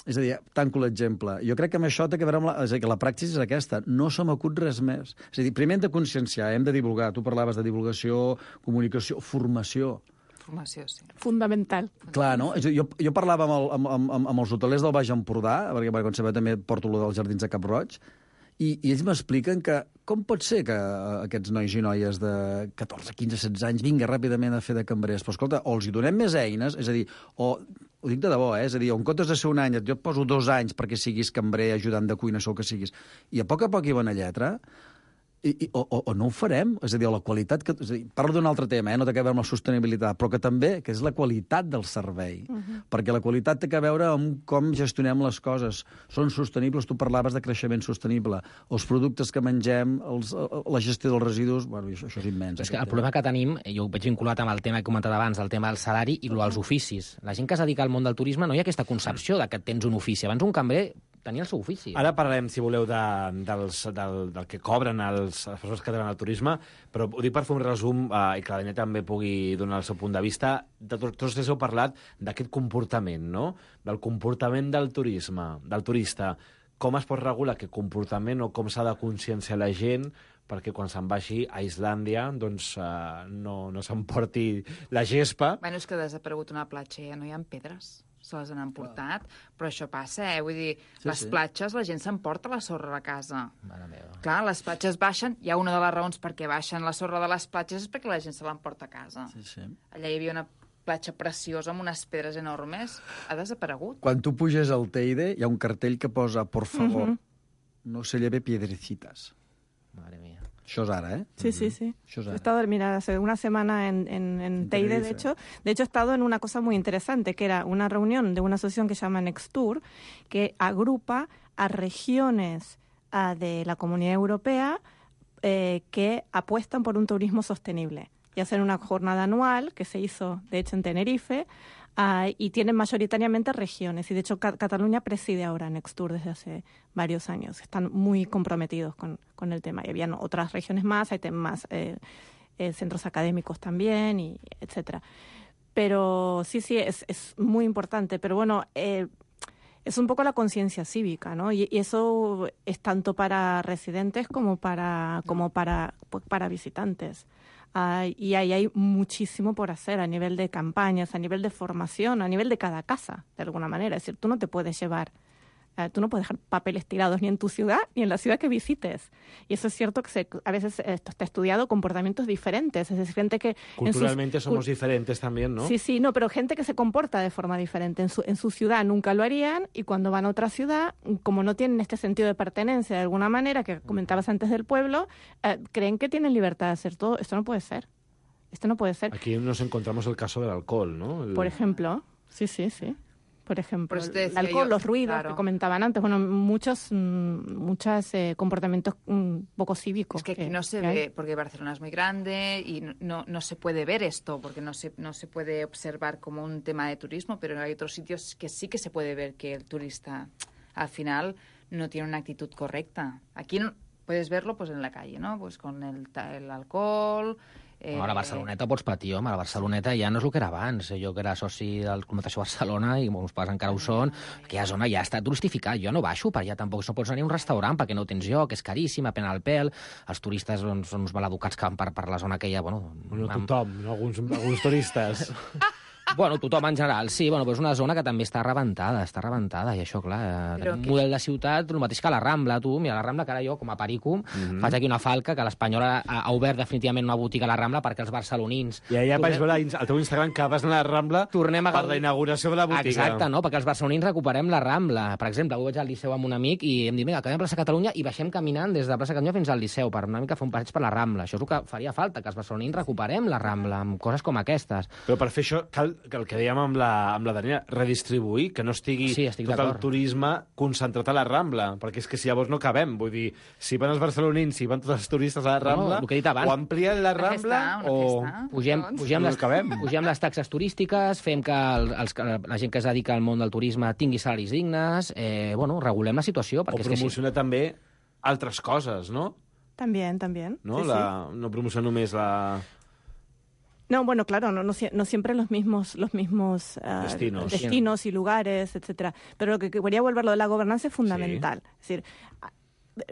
és a dir, tanco l'exemple. Jo crec que amb això té que veure amb és a dir, que la praxis és aquesta. No se m'acut res més. És a dir, primer hem de conscienciar, hem de divulgar. Tu parlaves de divulgació, comunicació, formació. Formació, sí. Fundamental. Clar, no? És a dir, jo parlava amb els hotelers del Baix Empordà, perquè com sabeu també porto lo dels Jardins de Cap Roig, i ells m'expliquen que com pot ser que aquests nois i noies de 14, 15, 16 anys vinguin ràpidament a fer de cambrers? Però escolta, o els hi donem més eines, és a dir, o ho dic de debò, és a dir, on comptes de ser un any, jo et poso 2 anys perquè siguis cambrer, ajudant de cuina, això que siguis, i a poc hi bona lletra, o no ho farem, és a dir, la qualitat... És a dir, parlo d'un altre tema, no té a veure amb la sostenibilitat, però que també que és la qualitat del servei, perquè la qualitat té a veure amb com gestionem les coses. Són sostenibles, tu parlaves de creixement sostenible, els productes que mengem, la gestió dels residus, bueno, això és immens. És que el problema que tenim, jo ho veig vinculat amb el tema que he comentat abans, el tema del salari i els oficis. La gent que es dedica al món del turisme no hi ha aquesta concepció de que tens un ofici. Abans un cambrer tenia el seu ofici. Ara parlarem, si voleu, del que cobren les persones que tenen el turisme, però ho dic per fer un resum i que la Daniela també pugui donar el seu punt de vista. Tots tres heu parlat d'aquest comportament, no? Del comportament del turisme, del turista. Com es pot regular aquest comportament o com s'ha de conscienciar la gent perquè quan se'n vagi a Islàndia doncs, no s'emporti la gespa. Bueno, és que ha desaparegut una platja, ja no hi ha pedres. Se les han emportat, però això passa, vull dir, les platges, la gent s'emporta la sorra a casa. Clar, les platges baixen, hi ha una de les raons perquè baixen la sorra de les platges és perquè la gent se l'emporta a casa. Allà hi havia una platja preciosa amb unes pedres enormes, ha desaparegut. Quan tu puges al Teide, hi ha un cartell que posa, por favor, no se lleve piedrecitas. Madre mía. Això és ara, Sí. He estado, mira, hace una semana en Teide, de hecho he estado en una cosa muy interesante, que era una reunión de una asociación que se llama Nextur, que agrupa a regiones de la Comunidad Europea que apuestan por un turismo sostenible. Y hacen una jornada anual que se hizo, de hecho, en Tenerife, y tienen mayoritariamente regiones. Y, de hecho, Cataluña preside ahora Nextur desde hace varios años. Están muy comprometidos con el tema. Y habían otras regiones más, hay más centros académicos también, y etcétera. Pero sí, es muy importante. Pero bueno, es un poco la conciencia cívica, ¿no? Y eso es tanto para residentes como para visitantes. Y ahí hay muchísimo por hacer a nivel de campañas, a nivel de formación, a nivel de cada casa, de alguna manera. Es decir, tú no te puedes llevar tú no puedes dejar papeles tirados ni en tu ciudad ni en la ciudad que visites. Y eso es cierto que a veces esto está estudiado, comportamientos diferentes. Es decir, gente que... Culturalmente somos diferentes también, ¿no? Sí, no, pero gente que se comporta de forma diferente. En su ciudad nunca lo harían y cuando van a otra ciudad, como no tienen este sentido de pertenencia de alguna manera, que comentabas antes del pueblo, creen que tienen libertad de hacer todo. Esto no puede ser. Esto no puede ser. Aquí nos encontramos el caso del alcohol, ¿no? Por ejemplo, sí. Por ejemplo, el alcohol, los ruidos que comentaban antes, bueno, muchos comportamientos poco cívicos. Es que aquí no se ve, porque Barcelona es muy grande y no se puede ver esto, porque no se puede observar como un tema de turismo, pero hay otros sitios que sí que se puede ver que el turista al final no tiene una actitud correcta. Aquí puedes verlo pues en la calle, ¿no? Pues con el alcohol... A la Barceloneta pots patir, home, a la Barceloneta ja no és el que era abans. Jo que era soci del Club Natació Barcelona, i molts pares encara ho són, aquella zona ja està turistificada. Jo no baixo per allà, tampoc no pots anar a un restaurant perquè no tens lloc, és caríssim, a pena el pèl. Els turistes són uns maleducats que van per la zona aquella... Bueno, tothom, alguns turistes... Bueno, tothom en general, sí. Bueno, però és una zona que també està rebentada, i això, clar, un model de ciutat, el mateix que la Rambla, tu. Mira, la Rambla, que ara jo, com a perico, faig aquí una falca, que l'Espanyol ha obert definitivament una botiga a la Rambla perquè els barcelonins... I ja vaig veure al teu Instagram que vas anar a la Rambla per la inauguració de la botiga. Exacte, no? Perquè els barcelonins recuperem la Rambla. Per exemple, avui vaig al Liceu amb un amic i em diu, vinga, acabem a plaça Catalunya i baixem caminant des de plaça Catalunya fins al Liceu per una mica fer un passeig per la Rambla. Això és el que faria falta, que els barcelonins recuperem la Rambla amb coses com aquestes. Però per fer això cal que el que dèiem amb la Daniela, redistribuir, que no estigui tot el turisme concentrat a la Rambla, perquè és que si llavors no cabem, vull dir, si van els barcelonins, si van tots els turistes a la Rambla, o amplien la Rambla o... Pugem les taxes turístiques, fem que la gent que es dedica al món del turisme tingui salaris dignes, regulem la situació. O promocionar també altres coses, no? També. No, no promocionar només la... No, bueno, claro, no siempre los mismos destinos y lugares, etcétera. Pero lo que quería volver, lo de la gobernanza es fundamental. Sí. Es decir,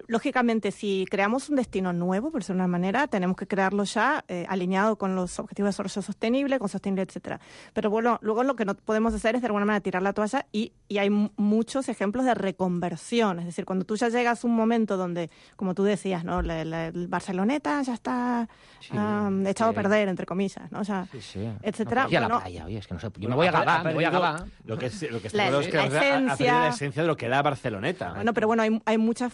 lógicamente, si creamos un destino nuevo, por decirlo de una manera, tenemos que crearlo ya alineado con los objetivos de desarrollo sostenible, con sostenible, etcétera. Pero bueno, luego lo que no podemos hacer es de alguna manera tirar la toalla y hay muchos ejemplos de reconversión. Es decir, cuando tú ya llegas a un momento donde, como tú decías, ¿no? El Barceloneta ya está echado a perder, entre comillas, ¿no? O sea, etcétera. No, a la playa, oye, es que no sé, yo me voy a Gavà, Lo que está claro es que ha perdido la esencia de lo que era Barceloneta. Bueno, pero bueno, hay muchas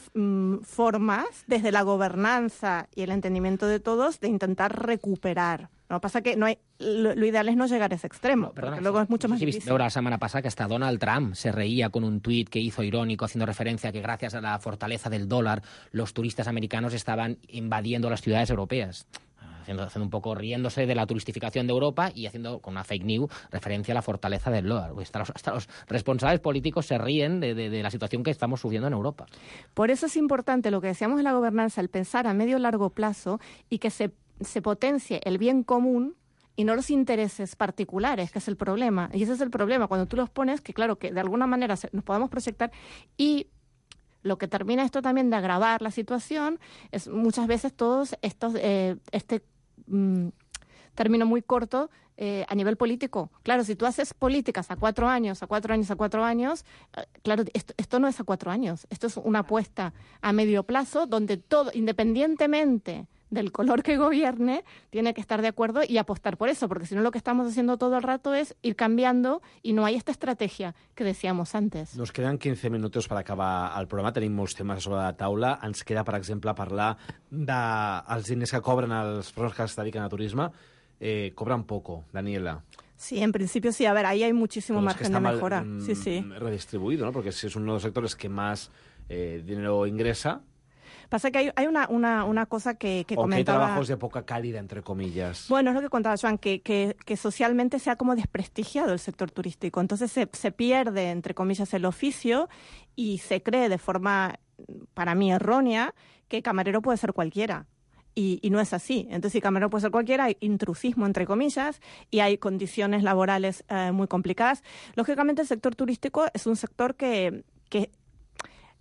formas, desde la gobernanza y el entendimiento de todos, de intentar recuperar. No pasa que lo ideal es no llegar a ese extremo, porque luego es mucho más difícil. La semana pasada que hasta Donald Trump se reía con un tuit que hizo irónico haciendo referencia a que gracias a la fortaleza del dólar los turistas americanos estaban invadiendo las ciudades europeas. Haciendo un poco riéndose de la turistificación de Europa y haciendo con una fake news referencia a la fortaleza del dólar. Hasta los responsables políticos se ríen de la situación que estamos sufriendo en Europa. Por eso es importante lo que decíamos de la gobernanza, el pensar a medio y largo plazo y que se potencie el bien común y no los intereses particulares, que es el problema. Y ese es el problema, cuando tú los pones, que claro, que de alguna manera nos podamos proyectar y... Lo que termina esto también de agravar la situación es muchas veces todos estos término muy corto a nivel político. Claro, si tú haces políticas a 4 años, claro, esto no es a 4 años. Esto es una apuesta a medio plazo donde todo, independientemente del color que gobierne, tiene que estar de acuerdo y apostar por eso, porque si no lo que estamos haciendo todo el rato es ir cambiando y no hay esta estrategia que decíamos antes. Nos queden 15 minuts per acabar el programa, tenim molts temes sobre la taula. Ens queda, per exemple, parlar dels diners que cobren els professionals que es dediquen a turisme. Cobran poco, Daniela. Sí, en principio sí. A ver, ahí hay muchísimo margen de mejora. Sí. Redistribuido, ¿no? Porque es uno de los sectores que más dinero ingresa. Pasa que hay una cosa que comentaba... O que hay trabajos de poca calidad, entre comillas. Bueno, es lo que contaba Joan, que socialmente se ha como desprestigiado el sector turístico. Entonces se pierde, entre comillas, el oficio y se cree de forma, para mí, errónea, que camarero puede ser cualquiera. Y no es así. Entonces, si camarero puede ser cualquiera, hay intrusismo, entre comillas, y hay condiciones laborales muy complicadas. Lógicamente, el sector turístico es un sector que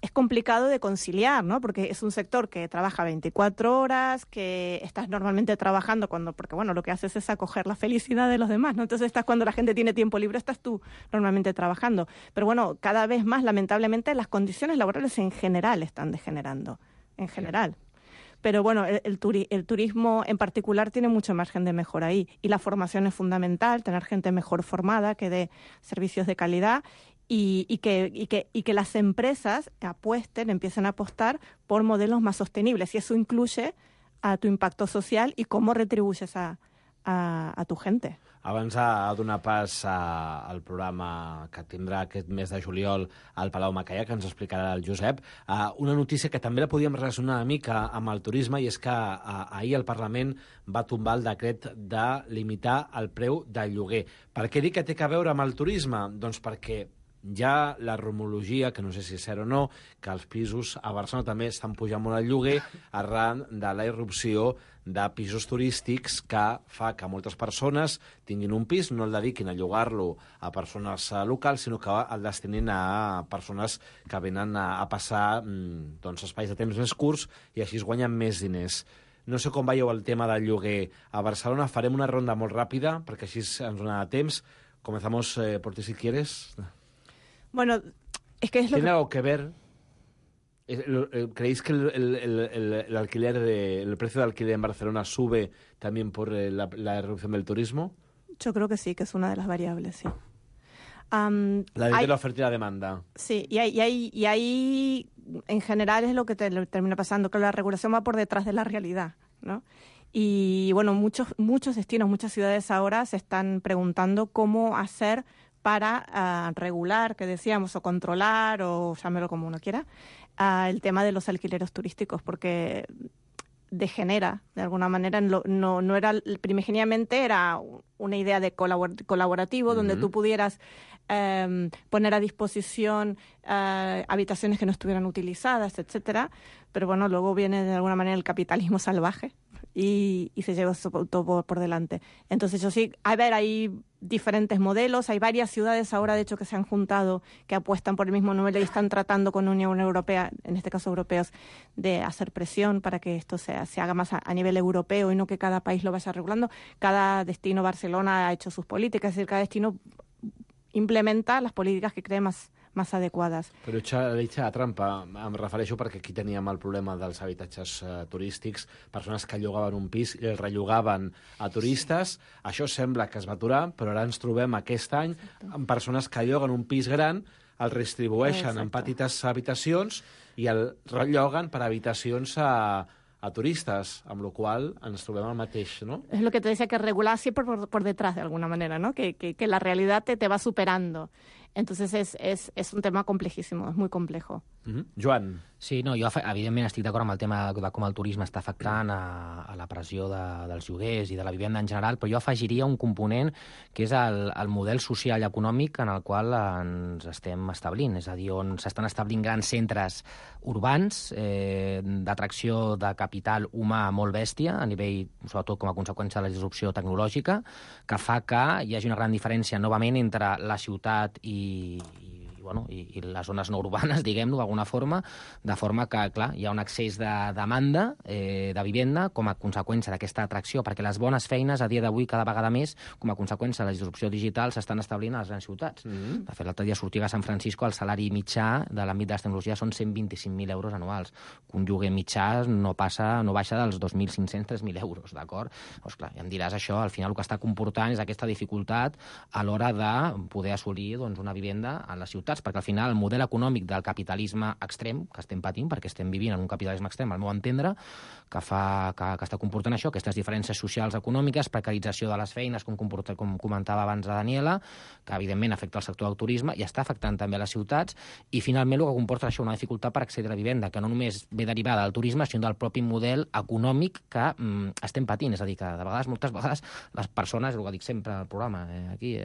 es complicado de conciliar, ¿no? Porque es un sector que trabaja 24 horas, que estás normalmente trabajando porque bueno, lo que haces es acoger la felicidad de los demás, ¿no? Entonces cuando la gente tiene tiempo libre, estás tú normalmente trabajando. Pero bueno, cada vez más, lamentablemente, las condiciones laborales en general están degenerando, en general. Pero bueno, el turismo en particular tiene mucho margen de mejora ahí. Y la formación es fundamental, tener gente mejor formada que dé servicios de calidad y que las empresas empiecen a apostar por modelos más sostenibles. Y eso incluye a tu impacto social i com retribueixes a tu gente. Abans de donar pas al programa que tindrà aquest mes de juliol al Palau Macaya, que ens explicarà el Josep, una notícia que també la podíem relacionar una mica amb el turisme, i és que ahir el Parlament va tombar el decret de limitar el preu del lloguer. Per què dic que té a veure amb el turisme? Doncs perquè hi ha la rumorologia, que no sé si és cert o no, que els pisos a Barcelona també estan pujant molt el lloguer arran de la irrupció de pisos turístics que fa que moltes persones tinguin un pis, no el dediquin a llogar-lo a persones locals, sinó que el destinin a persones que venen a passar espais de temps més curts i així es guanyen més diners. No sé com veieu el tema del lloguer a Barcelona. Farem una ronda molt ràpida, perquè així ens dona temps. Comenzamos por ti, si quieres. Bueno, es que es lo ¿Tiene algo que ver? ¿Creéis que el precio de alquiler en Barcelona sube también por la erupción del turismo? Yo creo que sí, que es una de las variables, sí. La de la oferta y la demanda. Sí, y ahí en general es lo que termina pasando, que la regulación va por detrás de la realidad, ¿no? Y bueno, muchos destinos, muchas ciudades ahora se están preguntando cómo hacer para regular, que decíamos, o controlar, o llámelo como uno quiera, el tema de los alquileres turísticos, porque degenera, de alguna manera. No era, primigeniamente era una idea de colaborativo, donde tú pudieras poner a disposición habitaciones que no estuvieran utilizadas, etcétera. Pero bueno, luego viene de alguna manera el capitalismo salvaje y se lleva todo por delante. Entonces yo sí, hay diferentes modelos, hay varias ciudades ahora de hecho que se han juntado, que apuestan por el mismo nivel y están tratando con la Unión Europea, en este caso europeos, de hacer presión para que esto se haga más a nivel europeo y no que cada país lo vaya regulando. Cada destino, Barcelona ha hecho sus políticas, es decir, cada destino implementa les polítiques que cree més adequades. Però hecha la trampa, em refereixo perquè aquí teníem el problema dels habitatges turístics, persones que llogaven un pis i el rellogaven a turistes. Això sembla que es va aturar, però ara ens trobem aquest any amb persones que lloguen un pis gran, el redistribueixen en petites habitacions i el relloguen per habitacions a turistas, amb lo cual ens trobem el mateix, ¿no? Es lo que te decía, que regular siempre por detrás, de alguna manera, ¿no? Que la realidad te va superando. Entonces es un tema complejísimo, es muy complejo. Joan. Sí, no, jo evidentment estic d'acord amb el tema de com el turisme està afectant a la pressió dels lloguers i de la vivenda en general, però jo afegiria un component que és el model social i econòmic en el qual ens estem establint, és a dir, on s'estan establint grans centres urbans d'atracció de capital humà molt bèstia, a nivell, sobretot com a conseqüència de la disrupció tecnològica, que fa que hi hagi una gran diferència, novament, entre la ciutat i les zones no urbanes, diguem-ho d'alguna forma, de forma que, clar, hi ha un excés de demanda de vivenda com a conseqüència d'aquesta atracció, perquè les bones feines a dia d'avui cada vegada més, com a conseqüència de la disrupció digital, s'estan establint a les grans ciutats. De fet, l'altre dia sortia a San Francisco el salari mitjà de l'àmbit de les tecnologies són 125.000 euros anuals. Un lloguer mitjà no baixa dels 2.500, 3.000 euros, d'acord? Doncs clar, ja em diràs, això al final el que està comportant és aquesta dificultat a l'hora de poder assolir una vivenda a les ciutats, perquè al final el model econòmic del capitalisme extrem que estem patint, perquè estem vivint en un capitalisme extrem, al meu entendre, que està comportant això, aquestes diferències socials econòmiques, precarització de les feines, com comentava abans la Daniela, que evidentment afecta el sector del turisme i està afectant també a les ciutats, i finalment el que comporta això una dificultat per accedir a la vivenda, que no només ve derivada del turisme, sinó del propi model econòmic que estem patint. És a dir, que de vegades, moltes vegades, les persones, el que dic sempre al programa, aquí,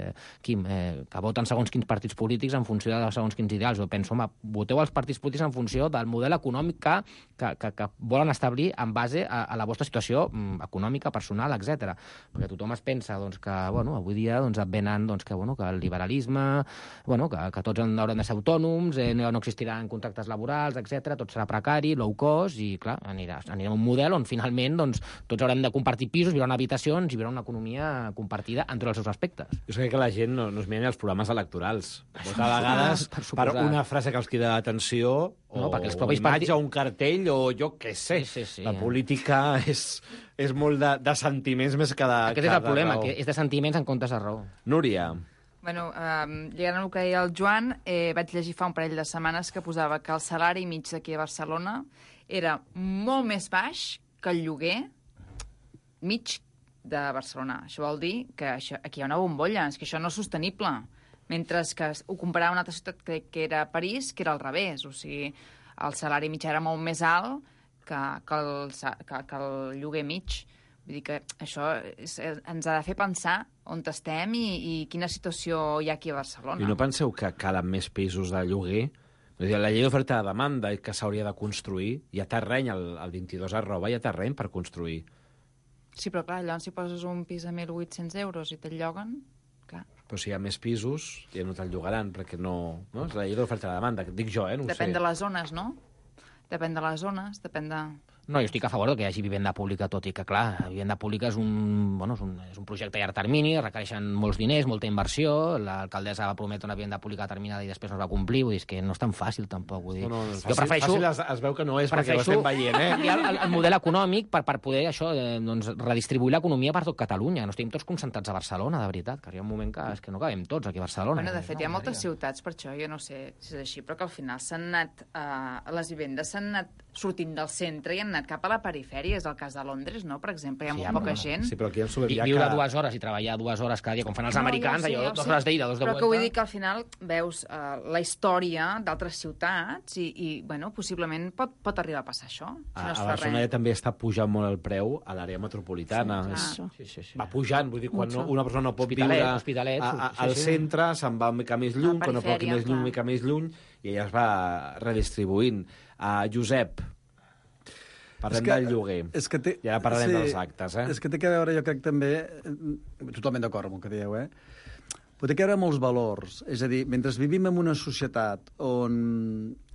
Quim, que voten segons quins partits polítics en funció de segons quins ideals. Jo penso, home, voteu els partits polítics en funció del model econòmic que volen establir en base a la vostra situació econòmica, personal, etc. Perquè tothom es pensa doncs, que avui dia et venen que el liberalisme, que tots haurem de ser autònoms, no existiran contractes laborals, etc. Tot serà precari, low cost, i clar, anirem a un model on finalment tots haurem de compartir pisos, viure en habitacions i viure una economia compartida en tots els seus aspectes. Jo sé que la gent no es mira els programes electorals. Vota a vegades per una frase que els crida l'atenció, o una imatge, o un cartell, o jo què sé. Sí. La política és molt de sentiments més que de raó. Aquest és el problema, que és de sentiments en comptes de raó. Núria. Bueno, lligant al que deia el Joan, vaig llegir fa un parell de setmanes que posava que el salari mig d'aquí a Barcelona era molt més baix que el lloguer mig de Barcelona. Això vol dir que aquí hi ha una bombolla, és que això no és sostenible. Mentre que ho comparava amb una altra ciutat que era París, que era al revés. O sigui, el salari mitjà era molt més alt que el lloguer mig. Vull dir que això ens ha de fer pensar on estem i quina situació hi ha aquí a Barcelona. I no penseu que calen més pisos de lloguer? La llei d'oferta de demanda que s'hauria de construir, hi ha terreny, el 22 @ hi ha terreny per construir. Sí, però clar, llavors si poses un pis a 1.800 euros i te'l lloguen, clar. Però si hi ha més pisos, ja no te'l llogaran, perquè no... És la llei d'oferta de demanda, que dic jo, no ho sé. Depèn de les zones, no? Depèn de les zones, depèn de... No, jo estic a favor que hi hagi vivenda pública, tot i que, clar, la vivenda pública és un projecte a llarg termini, requereixen molts diners, molta inversió, l'alcaldessa va prometre una vivenda pública determinada i després no es va complir, vull dir, és que no és tan fàcil, tampoc. Vull dir. No, jo prefereixo... Fàcil es veu que no és, perquè ho estem veient, el model econòmic per poder, redistribuir l'economia per tot Catalunya. No estem tots concentrats a Barcelona, de veritat, que hi ha un moment que no cabem tots aquí a Barcelona. Bueno, de fet, hi ha moltes ciutats, per això, jo no sé si és així, però que al final les vivendes s'han anat sortint del centre i han anat cap a la perifèria. És el cas de Londres, no? Per exemple, hi ha molt poca gent. Sí, però aquí viure 2 hores i treballar 2 hores cada dia, com fan els americans, allò, 2 hores d'ida, 2 de vuelta. Però que vull dir que al final veus la història d'altres ciutats i possiblement pot arribar a passar això. A Barcelona ja també està pujant molt el preu a l'àrea metropolitana. Va pujant, vull dir, quan una persona no pot viure al centre, se'n va una mica més lluny, quan no pot aquí més lluny, una mica més lluny, i ella es va redistribuint. Josep, parlem del lloguer. I ara parlarem dels actes. És que té que veure, jo crec també, totalment d'acord amb el que dieu, però té que veure amb els valors. És a dir, mentre vivim en una societat on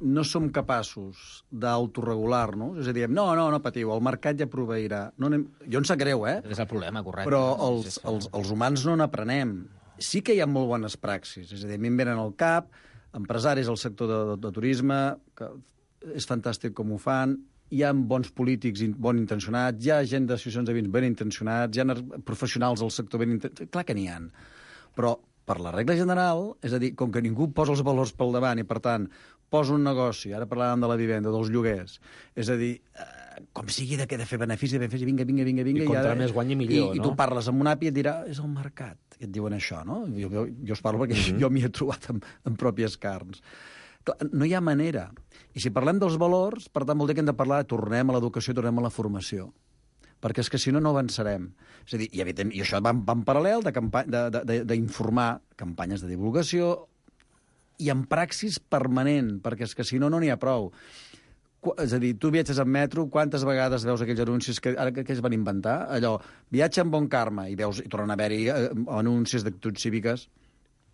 no som capaços d'autoregular-nos, és a dir, no patiu, el mercat ja proveirà. Jo em sap greu, És el problema, correcte. Però els humans no n'aprenem. Sí que hi ha molt bones praxis, és a dir, a mi em venen al cap empresaris al sector de turisme, que és fantàstic com ho fan, hi ha bons polítics ben intencionats, hi ha gent d'associacions de veïns ben intencionats, hi ha professionals del sector ben intencionats, clar que n'hi ha. Però, per la regla general, és a dir, com que ningú posa els valors pel davant i, per tant, posa un negoci, ara parlàvem de la vivenda, dels lloguers, és a dir, com sigui de fer benefici, vinga. I contra més guanyi millor, no? I tu parles amb un api i et dirà, és el mercat, i et diuen això, no? Jo us parlo perquè jo m'hi he trobat en pròpies carns. No hi ha manera. I si parlem dels valors, per tant, vol dir que hem de parlar, tornem a l'educació, tornem a la formació. Perquè és que si no, no avançarem. És a dir, i això va en paral·lel d'informar, campanyes de divulgació, i en praxis permanent, perquè és que si no, no n'hi ha prou. És a dir, tu viatges en metro, quantes vegades veus aquells anuncis que ara que es van inventar? Allò, viatge amb bon karma, i tornen a haver-hi anuncis d'actituds cíviques.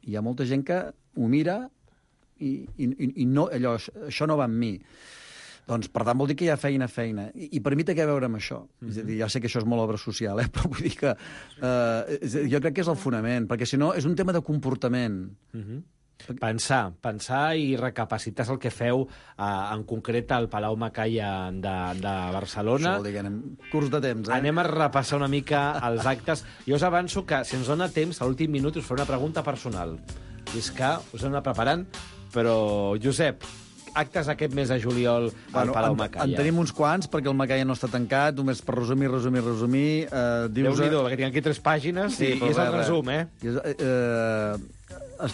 Hi ha molta gent que ho mira i no, això no va amb mi. Doncs, per tant, vol dir que hi ha feina. I per mi té que veure amb això. És a dir, ja sé que això és molt obra social, però vull dir que jo crec que és el fonament, perquè si no és un tema de comportament. Pensar i recapacitar el que feu en concret al Palau Macaya de Barcelona. Això vol dir que anem curs de temps, Anem a repassar una mica els actes. Jo us avanço que, si ens dona temps, a l'últim minut us faré una pregunta personal. I és que us hem anat preparant, però, Josep, actes aquest mes de juliol al Palau Macaya. En tenim uns quants, perquè el Macaya no està tancat, només per resumir. Déu-n'hi-do, que tinc aquí 3 pàgines, i és el resum,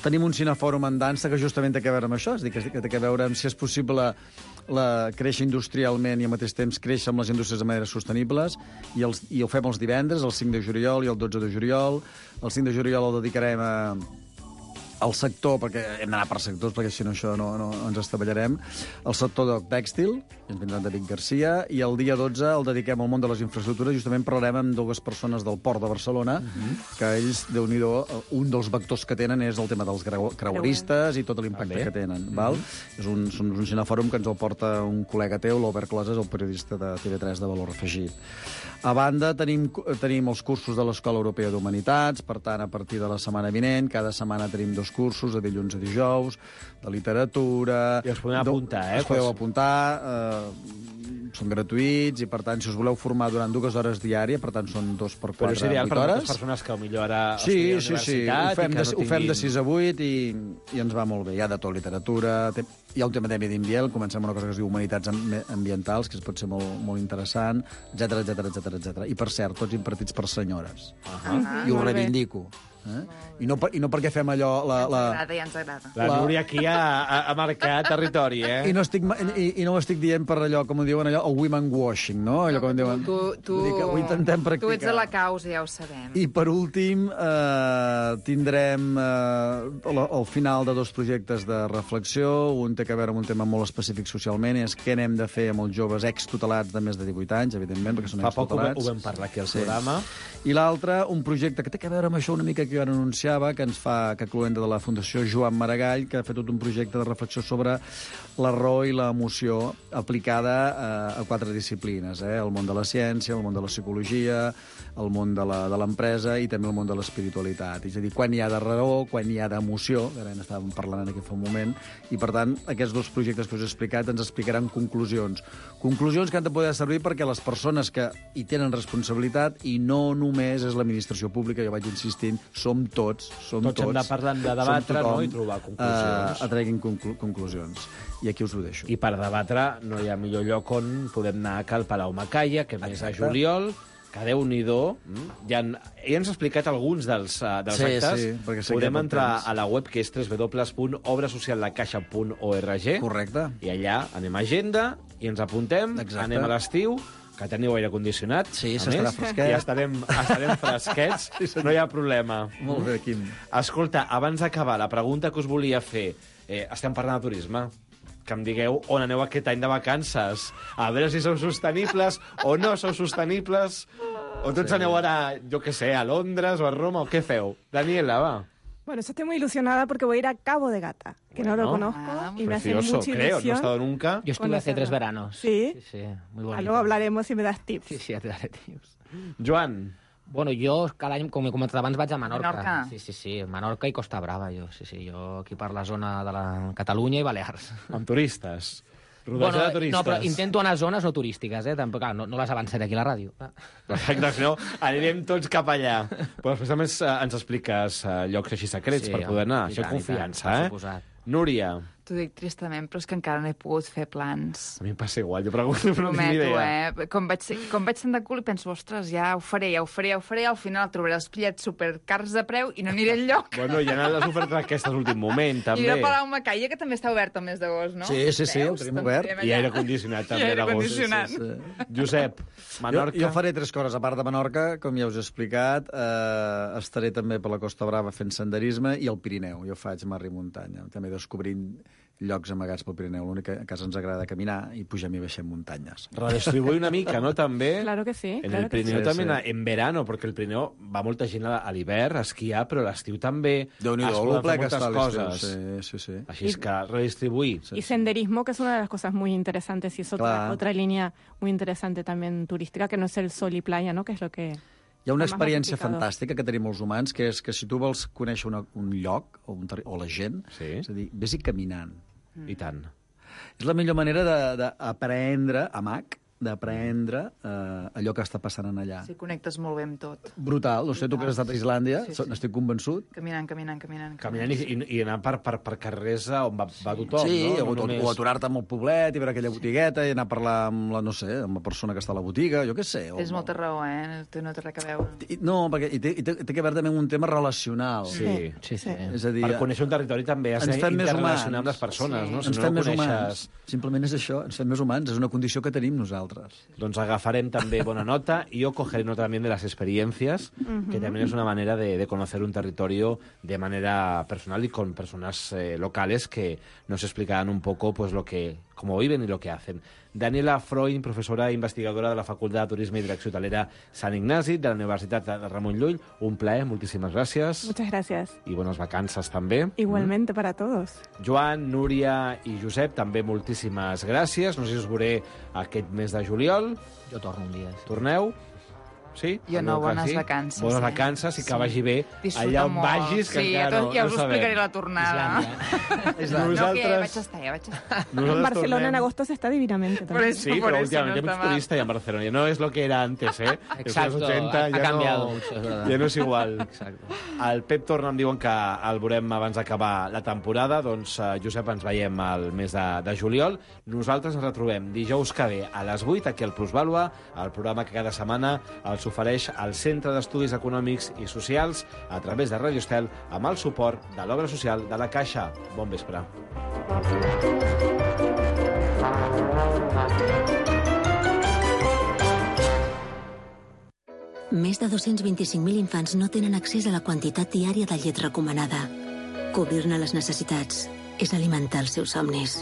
Tenim un cinefòrum en dansa que justament té a veure amb això, és a dir, que té a veure amb si és possible créixer industrialment i al mateix temps créixer amb les indústries de manera sostenibles, i ho fem els divendres, el 5 de juliol i el 12 de juliol. El 5 de juliol el dedicarem el sector, perquè hem d'anar per sectors, perquè si no això no ens estavellarem, el sector del tèxtil, ens vindrà en David Garcia, i el dia 12 el dediquem al món de les infraestructures. Justament parlarem amb dues persones del Port de Barcelona, que ells, Déu-n'hi-do, un dels vectors que tenen és el tema dels creueristes i tot l'impacte que tenen. Val? És un cinefòrum que ens el porta un col·lega teu, l'Albert Closes, el periodista de TV3 de Valor Afegit. A banda, tenim els cursos de l'Escola Europea d'Humanitats, per tant, a partir de la setmana vinent, cada setmana tenim 2 cursos, de dilluns a dijous, de literatura... I us podem apuntar, Us podeu apuntar, són gratuïts, i per tant, si us voleu formar durant 2 hores diàries, per tant, són 2 per 4, 8 hores... Però és ideal per moltes persones que potser ara estudien a la universitat... Ho fem de 6 a 8 i ens va molt bé. Hi ha de tot, literatura... Hi ha un tema de medi ambient, comencem amb una cosa que es diu humanitats ambientals, que pot ser molt, molt interessant, etc. I, per cert, tots impartits per senyores. I ho reivindico. I no perquè fem allò... Ja ens agrada. La Núria aquí ha marcat territori, eh? I no ho estic dient per allò, com ho diuen allò, el women washing, no? Allò com diuen... Ho intentem practicar. Tu ets a la causa, ja ho sabem. I per últim, tindrem al final de 2 projectes de reflexió. Un té a veure amb un tema molt específic socialment, és què n'hem de fer amb els joves extutelats de més de 18 anys, evidentment, perquè són extutelats. Fa poc ho vam parlar aquí al programa. I l'altre, un projecte que té a veure amb això una mica que jo ara anunciava, que cluenta de la Fundació Joan Maragall, que ha fet tot un projecte de reflexió sobre la raó i l'emoció aplicada a 4 disciplines, el món de la ciència, el món de la psicologia, el món de l'empresa i també el món de l'espiritualitat. És a dir, quan hi ha de raó, quan hi ha d'emoció, que ara n'estàvem parlant aquí fa un moment, i per tant, aquests 2 projectes que us he explicat ens explicaran conclusions. Conclusions que han de poder servir perquè les persones que hi tenen responsabilitat, i no només és l'administració pública, jo vaig insistint, som tots. Tots hem de parlar, de debatre, no? I trobar conclusions. Treguin conclusions. I aquí us ho deixo. I per debatre no hi ha millor lloc on podem anar que al Palau Macaya, que més a juliol, que Déu-n'hi-do, ja ens ha explicat alguns dels actes. Sí, podem entrar a la web, que és www.obrasociallacaixa.org. Correcte. I allà anem a agenda i ens apuntem, anem a l'estiu, que teniu aire condicionat. Sí, s'estarà fresquet. I estarem fresquets, no hi ha problema. Molt bé, Quim. Escolta, abans d'acabar, la pregunta que us volia fer, estem parlant de turisme, que em digueu on aneu aquest any de vacances, a veure si sou sostenibles o no sou sostenibles, o tots aneu ara, jo què sé, a Londres o a Roma, o què feu? Daniela, va. Bueno, yo estoy muy ilusionada porque voy a ir a Cabo de Gata, que no lo conozco y me hace mucha ilusión. Creo, no he estado nunca. Yo estuve hace 3 veranos. Sí, muy bonito. Luego hablaremos y me das tips. Sí, ya te daré tips. Joan. Bueno, jo cada any, com he comentat abans, vaig a Menorca. Menorca. Sí, Menorca i Costa Brava, jo aquí per la zona de la Catalunya i Balears. Amb turistes. Rodatge de turistes. No, però intento anar a zones no turístiques, tampoc, no les avançaré aquí a la ràdio. Exacte, si no, anirem tots cap allà. Però després també ens expliques llocs així secrets per poder anar. Això confiança, Núria. T'ho dic tristament, però és que encara no he pogut fer plans. A mi em passa igual, jo pregunto, però no tinc ni idea. Com vaig tant de cul i penso, ostres, ja ho faré, al final trobaré els bitllets supercars de preu i no aniré enlloc. Bueno, hi ha anat les ofertes aquestes últim moment, també. I el Palau Macaya, que també està obert al mes d'agost, no? Sí, el tenim obert. I aire condicionat, també, d'agost. Josep, Menorca. Jo faré 3 coses. A part de Menorca, com ja us he explicat, estaré també per la Costa Brava fent senderisme i al Pirineu. Jo faig mar i muntanya, també descobrint llocs amagats pel Pirineu. L'únic que a casa ens agrada caminar i pugem i baixem muntanyes. Redistribuir una mica, no, també? Claro que sí. En el Pirineu també, en verano, perquè el Pirineu va molta gent a l'hivern a esquiar, però a l'estiu també es poden fer moltes coses. Sí. Així és que redistribuir. Y senderismo, que es una de las cosas muy interesantes, y es otra línea muy interesante también turística, que no es el sol y playa, ¿no? Que es lo que... Hi ha una experiència fantàstica que tenim els humans, que és que si tu vols conèixer un lloc o la gent, és a dir, vés-hi caminant. I tant. És la millor manera d'aprendre, d'aprendre allò que està passant allà. Sí, connectes molt bé amb tot. Brutal. No sé, tu que has estat a Islàndia, n'estic convençut. Caminant. Caminant i anar per carrers on va tothom, sí, no? O aturar-te amb el poblet i veure aquella botigueta i anar a parlar amb la persona que està a la botiga, jo què sé. Tens molta raó, no té res a veure. No, perquè té que veure també amb un tema relacional. Sí. És a dir, per conèixer un territori també has d'interrelacionar amb les persones, no? Ens fem més humans. Simplement és això, ens fem més humans. És una condició que tenim nosaltres. nosaltres. Doncs agafarem també bona nota y yo cogeré nota también de las experiencias, que también es una manera de conocer un territorio de manera personal y con personas locales que nos explicarán un poco pues cómo viven y lo que hacen. Daniela Freund, professora investigadora de la Facultat de Turisme i Direcció Hotelera Sant Ignasi de la Universitat de Ramon Llull. Un plaer, moltíssimes gràcies. Muchas gracias. I bones vacances també. Igualmente para todos. Joan, Núria i Josep, també moltíssimes gràcies. No sé si us veuré aquest mes de juliol. Jo torno un dia. Sí. Torneu? Sí? Jo no, bones vacances. Bones vacances i que vagi bé Disfruta allà on molt. vagis, que encara ja us no sabem. explicaré la tornada. Islàndia. No, que ja vaig estar. En Barcelona en agosto se está divinamente también. Sí, pero últimamente hay mucho turista ya en Barcelona. Ya no es lo que era antes, ¿eh? Exacto, los 80 ha cambiado mucho, es verdad. Ja no és igual. Exacto. El Pep torna, em diuen que el veurem abans d'acabar la temporada. Doncs, Josep, ens veiem al mes de juliol. Nosaltres ens retrobem dijous que ve a les 8 aquí al Plusvàlua, el programa que cada setmana els ofereix el Centre d'Estudis Econòmics i Socials a través de Radio Estel amb el suport de l'Obra Social de la Caixa. Bon vespre. Més de 225.000 infants no tenen accés a la quantitat diària de llet recomanada. Cobrir-ne les necessitats és alimentar els seus somnis.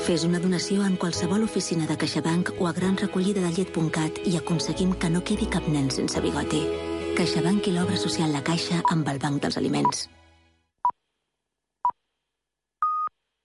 Fes una donació en qualsevol oficina de CaixaBank o a granrecollidadellet.cat i aconseguim que no quedi cap nen sense bigoti. CaixaBank i l'Obra Social La Caixa amb el Banc dels Aliments.